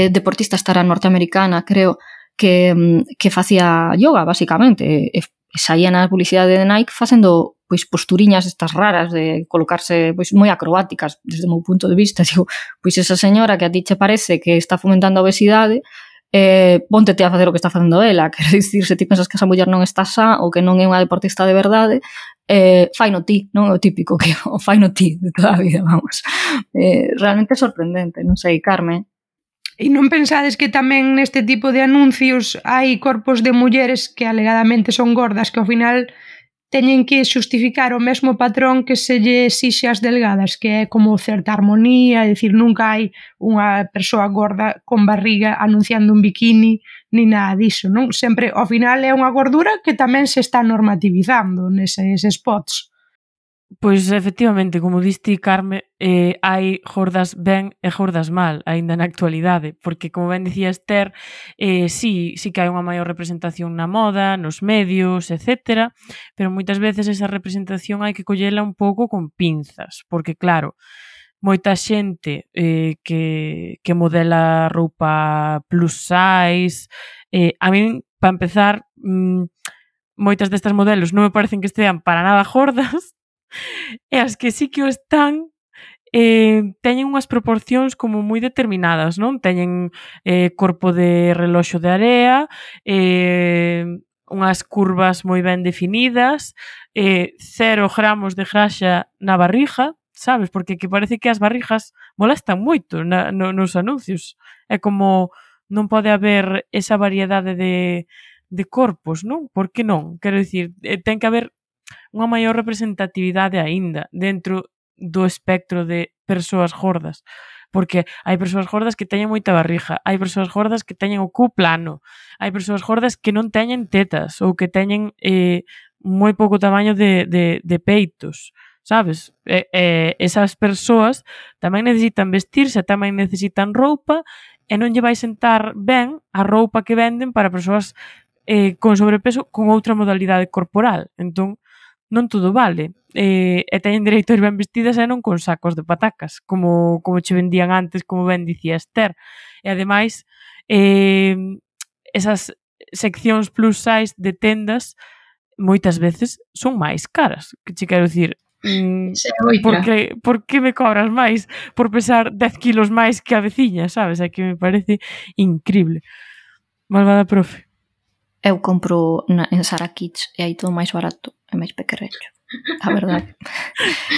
deportista estará norteamericana, creo, que facía yoga, basicamente, e saía na publicidade de Nike facendo pois posturiñas estas raras de colocarse pois moi acrobáticas desde o meu punto de vista. Digo, pois esa señora que a ti che parece que está fomentando a obesidade, póntete a facer o que está facendo ela. Quero dicir, se ti pensas que esa muller non está xa ou que non é unha deportista de verdade, faino ti, non é o típico que o faino ti de toda a vida, vamos. Realmente é sorprendente, non sei, Carme. E non pensades que tamén neste tipo de anuncios hai corpos de mulleres que alegadamente son gordas que ao final teñen que xustificar o mesmo patrón que se lle exixe as delgadas, que é como certa armonía, é dicir, nunca hai unha persoa gorda con barriga anunciando un bikini, ni nada diso, non? Sempre, ao final, é unha gordura que tamén se está normativizando neses spots. Pois, efectivamente, como diste, Carme, hai gordas ben e gordas mal, aínda na actualidade, porque, como ben dicía Esther, sí que hai unha maior representación na moda, nos medios, etc., pero moitas veces esa representación hai que collela un pouco con pinzas, porque, claro, moita xente que modela roupa plus size, a min, para empezar, moitas destas modelos non me parecen que estean para nada gordas, e as que sí que o están teñen unhas proporcións como moi determinadas, non? Teñen corpo de reloxo de area, unhas curvas moi ben definidas, 0 gramos de graxa na barriga, sabes? Porque que parece que as barrigas molestan moito nos anuncios. É como non pode haber esa variedade de corpos, non? Por que non? Quero dicir, ten que haber unha maior representatividade aínda dentro do espectro de persoas gordas. Porque hai persoas gordas que teñen moita barriga, hai persoas gordas que teñen o cu plano, hai persoas gordas que non teñen tetas ou que teñen moi pouco tamaño de peitos, sabes? Esas persoas tamén necesitan vestirse, tamén necesitan roupa e non lle vai sentar ben a roupa que venden para persoas con sobrepeso con outra modalidade corporal. Entón, non todo vale. E teñen dereito a ir ben vestidas e non con sacos de patacas, como che vendían antes, como ben dicía Esther. E ademais, esas seccións plus size de tendas moitas veces son máis caras. Que che quero dicir, por que me cobras máis por pesar 10 kilos máis que a veciña, sabes? É que me parece increíble. Malvada profe. Eu compro en Zara Kids e aí todo máis barato e máis pequerrecho. A verdade.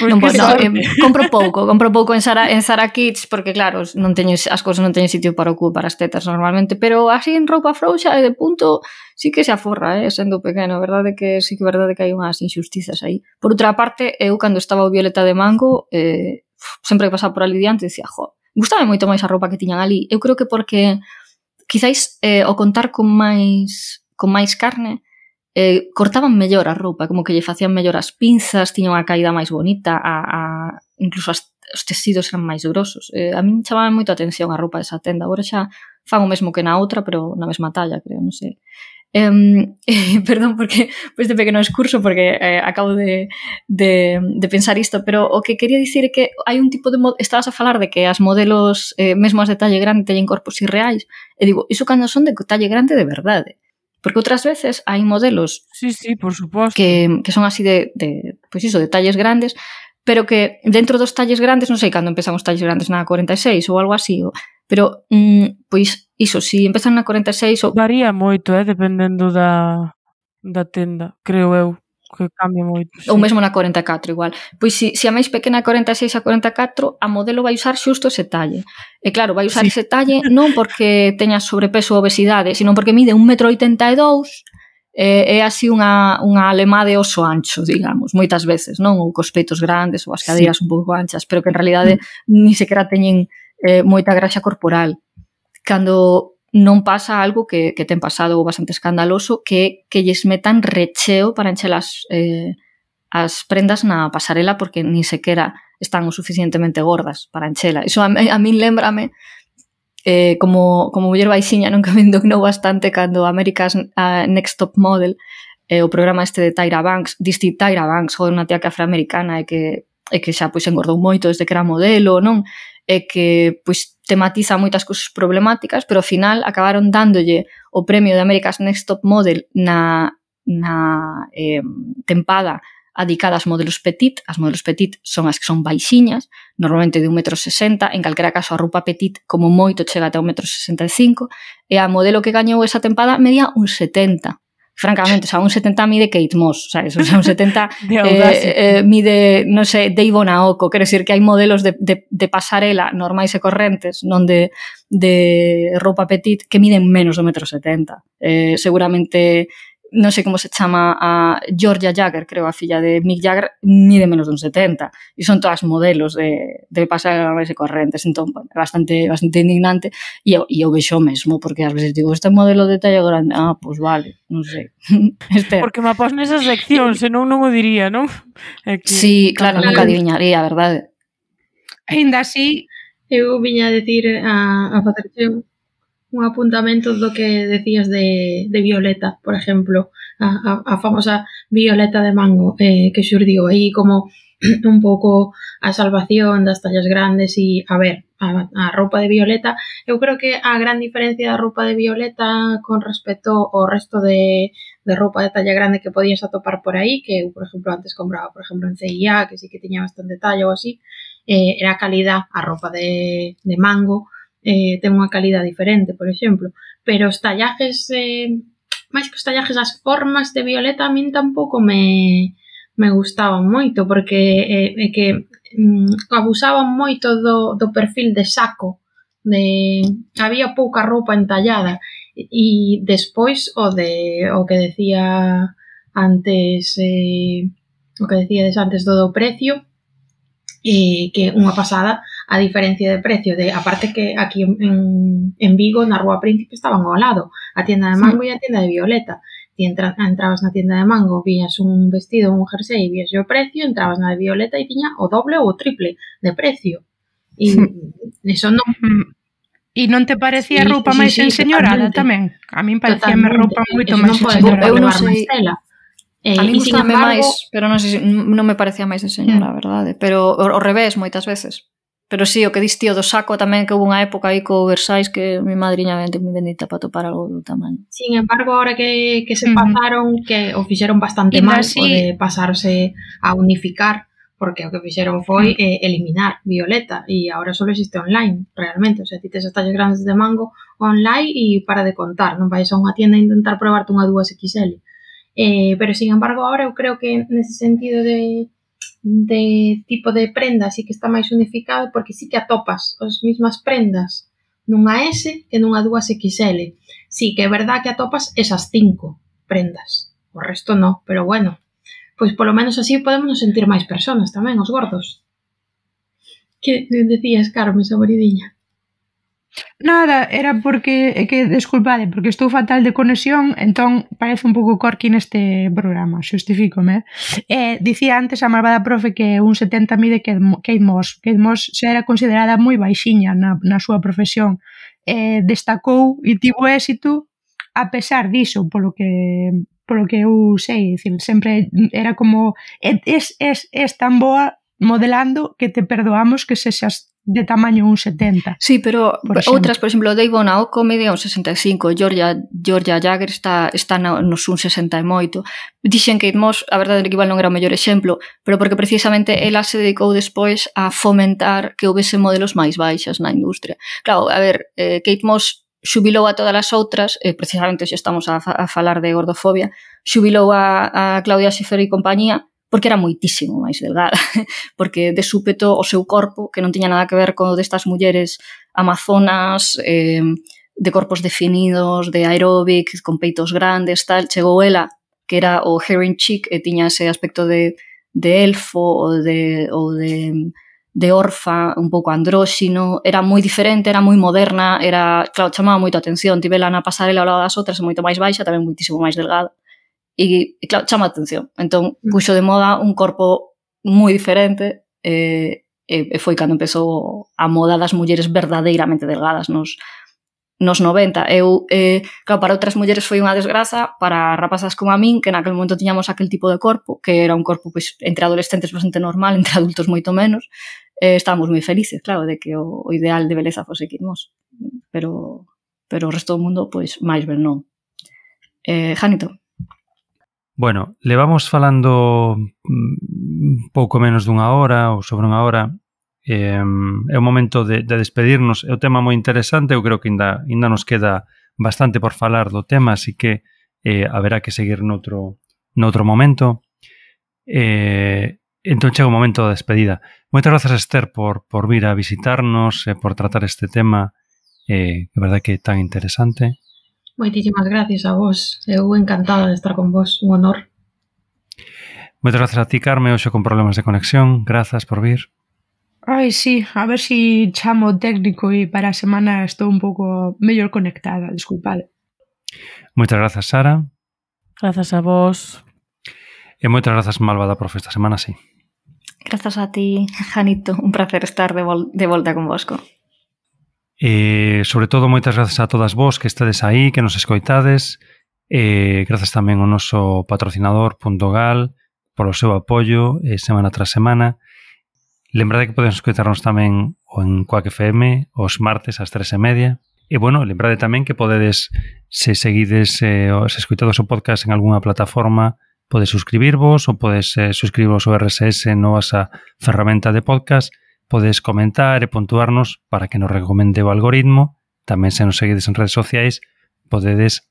Non podo, compro pouco en Zara Kids porque claro, non teño as cousas, non teño sitio para o cu, para as tetas normalmente, pero así en roupa frouxa e de punto sí que se aforra, sendo pequeno. A verdade que sí que é verdade que hai unhas injustizas aí. Por outra parte, eu cando estaba o Violeta de Mango, sempre que pasaba por ali diante dicía, gustaba moito máis a roupa que tiñan ali. Eu creo que porque quizáis o contar con máis carne cortaban mellor a roupa, como que lle facían mellor as pinzas, tiñan unha caída máis bonita, incluso os tecidos eran máis grosos. A min chamaba moito a atención a roupa desa tenda. Agora xa fan o mesmo que na outra, pero na mesma talla, creo, non sei. Perdón porque este pequeno discurso porque acabo de pensar isto, pero o que quería dicir é que hai un tipo de estabas a falar de que as modelos mesmo as de talle grande teñen corpos irreais e digo, iso cando son de talle grande de verdade. Porque outras veces hai modelos sí, por suposto, que son así de pois iso, de talles grandes, pero que dentro dos talles grandes, non sei cando empezan os talles grandes, na 46 ou algo así, pero pois iso, si empezan na 46 ou... Varía moito, dependendo da tenda, creo eu, que cambia moito. Sí. Ou mesmo na 44 igual. Pois si a máis pequena 46 a 44, a modelo vai usar xusto ese talle. E claro, vai usar ese talle non porque teña sobrepeso ou obesidade, sino porque mide 1,82 m, é así unha alemá de oso ancho, digamos, moitas veces, non? Ou cos peitos grandes ou as cadeiras un pouco anchas, pero que en realidade ni sequera teñen moita graxa corporal. Cando non pasa algo que ten pasado bastante escandaloso, que lles metan recheo para encher as prendas na pasarela porque ni sequera están o suficientemente gordas para enchela. Iso a min lembrame como muller baixiña, non que me indignou bastante cando America's Next Top Model, o programa este de Tyra Banks, Tyra Banks, unha tía que afroamericana e que xa pois engordou moito desde que era modelo, non? E que pois tematiza moitas cousas problemáticas, pero ao final acabaron dándolle o premio de America's Next Top Model na tempada dedicada ás modelos petit. As modelos petit son as que son baixiñas, normalmente de 1,60 m, en calquera caso a roupa petit como moito chega até 1,65 m, e a modelo que gañou esa tempada medía 1,70 m. Francamente, o sea, 1,70 m mide Kate Moss, sabes? O sea, 1,70 m mide, non sei, Dave Onaoko. Quero dicir que hai modelos de pasarela normais e correntes, non de roupa petit, que miden menos do 1,70 m. Seguramente, non sei como se chama a Georgia Jagger, creo, a filla de Mick Jagger, mide menos dun 70. E son todas modelos de pasarela normais e correntes. Entón, bueno, bastante indignante. E eu vexo mesmo, porque ás veces digo, este modelo de talla grande, pois vale, non sei. Porque me após nesas seccións, senón non o diría, non? Sí, claro, nunca adiviñaría, a verdade. Ainda así, eu viña a decir a facerche un apuntamento do que decías de Violeta, por exemplo, a famosa Violeta de Mango, que xurdiu aí como un pouco a salvación das tallas grandes. E, a ver, a roupa de Violeta, eu creo que a gran diferencia da roupa de Violeta con respecto ao resto de roupa de talla grande que podías atopar por aí, que eu, por exemplo, antes compraba, por exemplo, en CIA, que sí que tiña bastante talla ou así, era a calidad. A roupa de Mango ten unha calidad diferente, por exemplo, pero os tallajes, máis que os tallajes, as formas de Violeta a min tampouco me gustaban moito, porque que abusaban moito do perfil de saco había pouca roupa entallada. E despois o que decía antes o que decíades antes do precio, que unha pasada a diferencia de precio aparte que aquí en Vigo na Rúa Príncipe estaban ao lado a tienda de Mango e a tienda de Violeta. Ti entrabas na tienda de Mango, vías un vestido, un jersey e vías o precio, entrabas na de Violeta e tiña o doble ou o triple de precio. E iso non... E non te parecía roupa máis enseñorada tamén? A min parecíame roupa moito máis enseñorada. Eu non sei... A mí gustame máis, pero non sei, non me parecía máis enseñora, a verdade. Pero ao revés, moitas veces. Pero sí, o que dis tío do saco tamén, que houve unha época aí co Versailles que mi madriña me bendita para topar algo do tamaño. Sin embargo, ahora que se pasaron, que o fixeron bastante mal, o de pasarse a unificar, porque o que fixeron foi eliminar Violeta e agora só existe online, realmente. O sea, ti tes as tallas grandes de Mango online e para de contar, non vais a unha tienda a intentar probarte unha 2XL. Pero, sin embargo, ahora eu creo que nese sentido de tipo de prenda sí que está máis unificado porque sí que atopas as mismas prendas nunha S que nunha 2XL. Sí que é verdad que atopas esas 5 prendas. O resto no, pero bueno, pois polo menos así podemos nos sentir máis personas tamén, os gordos. Que decías, Carmen, saboridiña? Nada, era porque, desculpade, porque estou fatal de conexión, entón parece un pouco corky neste programa, xustifícome. Dicía antes a malvada profe que un 70 mide Kate Moss. Kate Moss xa era considerada moi baixiña na súa profesión. Destacou e tivo éxito a pesar diso, polo que eu sei, dicir, sempre era como es tan boa modelando que te perdoamos que sexas de tamaño 1,70. Sí, pero outras, por exemplo, Dave Naoko mide 1,65, Georgia Jagger está nos 1,60 e moito. Dixen que Kate Moss, a verdade é que igual non era o mellor exemplo, pero porque precisamente ela se dedicou despois a fomentar que houvese modelos máis baixas na industria. Claro, a ver, Kate Moss xubilou a todas as outras, precisamente se estamos a falar de gordofobia, xubilou a Claudia Schiffer e compañía, porque era moitísimo máis delgada, porque de súpeto o seu corpo, que non tiña nada que ver con destas mulleres amazonas, de corpos definidos, de aeróbic, con peitos grandes, tal, chegou ela, que era o heroin chic, e tiña ese aspecto de elfo ou de orfa, un pouco andróxino, era moi diferente, era moi moderna, claro, chamaba moito a atención, tivela na pasarela ao lado das outras, moito máis baixa, tamén moitísimo máis delgada. E claro, chama a atención. Entón, puxo de moda un corpo moi diferente e foi cando empezou a moda das mulleres verdadeiramente delgadas nos 90. Claro, para outras mulleres foi unha desgraza, para rapazas como a min, que naquele momento tiñamos aquel tipo de corpo, que era un corpo pois, entre adolescentes bastante normal, entre adultos moito menos, estábamos moi felices, claro, de que o ideal de beleza fose Kate Moss. Pero o resto do mundo, pois, máis ben non. Janito. Bueno, levamos falando pouco menos dunha hora ou sobre unha hora. É o momento de despedirnos. É un tema moi interesante, eu creo que ainda nos queda bastante por falar do tema, así que haberá que seguir noutro momento. Entón chega o momento da despedida. Moitas grazas, Esther, por vir a visitarnos e por tratar este tema que é verdade que é tan interesante. Moitísimas gracias a vos. Eu encantada de estar con vos. Un honor. Moitas grazas a ti, Carme, hoxe con problemas de conexión. Grazas por vir. Ai, sí, a ver si chamo o técnico e para a semana estou un pouco mellor conectada, disculpade. Moitas grazas, Sara. Grazas a vos. E moitas grazas, malvada profe, esta semana sí. Grazas a ti, Janito. Un placer estar de volta convosco. E, sobre todo, moitas grazas a todas vos que estades aí, que nos escoitades. Grazas tamén ao noso patrocinador Puntogal polo seu apoio semana tras semana. Lembrade que poden escoitarnos tamén en Quack FM os martes ás 3:30. E, bueno, lembrade tamén que podedes, se seguides, se escoitades o podcast en algunha plataforma, podes suscribirvos ou podes suscribirvos ao RSS no asa ferramenta de podcast. Podes comentar e puntuarnos para que nos recomende o algoritmo. Tamén se nos seguides en redes sociais, podedes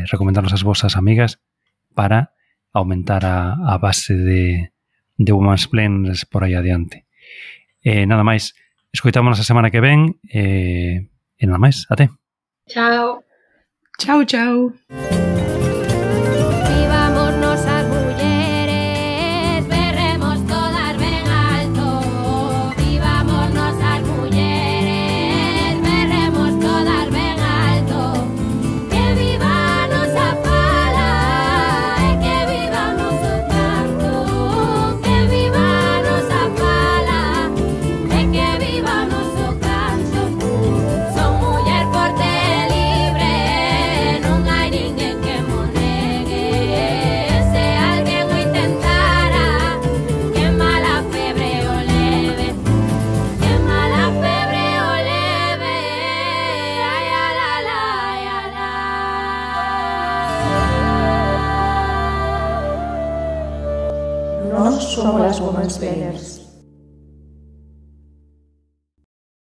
recomendarnos as vosas amigas para aumentar a base de Womansplainers por aí adiante. Nada máis, escoitámonos a semana que ven. E nada máis, até. Chao. Chao, chao. Vivámonos as mulleres, berremos todas ben alto. Vivámonos as mulleres, berremos todas ben alto. Que viva a nosa fala e que vivamos o canto. Que viva a nosa fala e que vivamos o canto. Son muller forte e libre, non hai ninguén que mo negue. Se alguén o intentara, que mala febre o leve. Que mala febre o leve. Ai, ala, la, ai, ala. Nós somos as Women's Planners.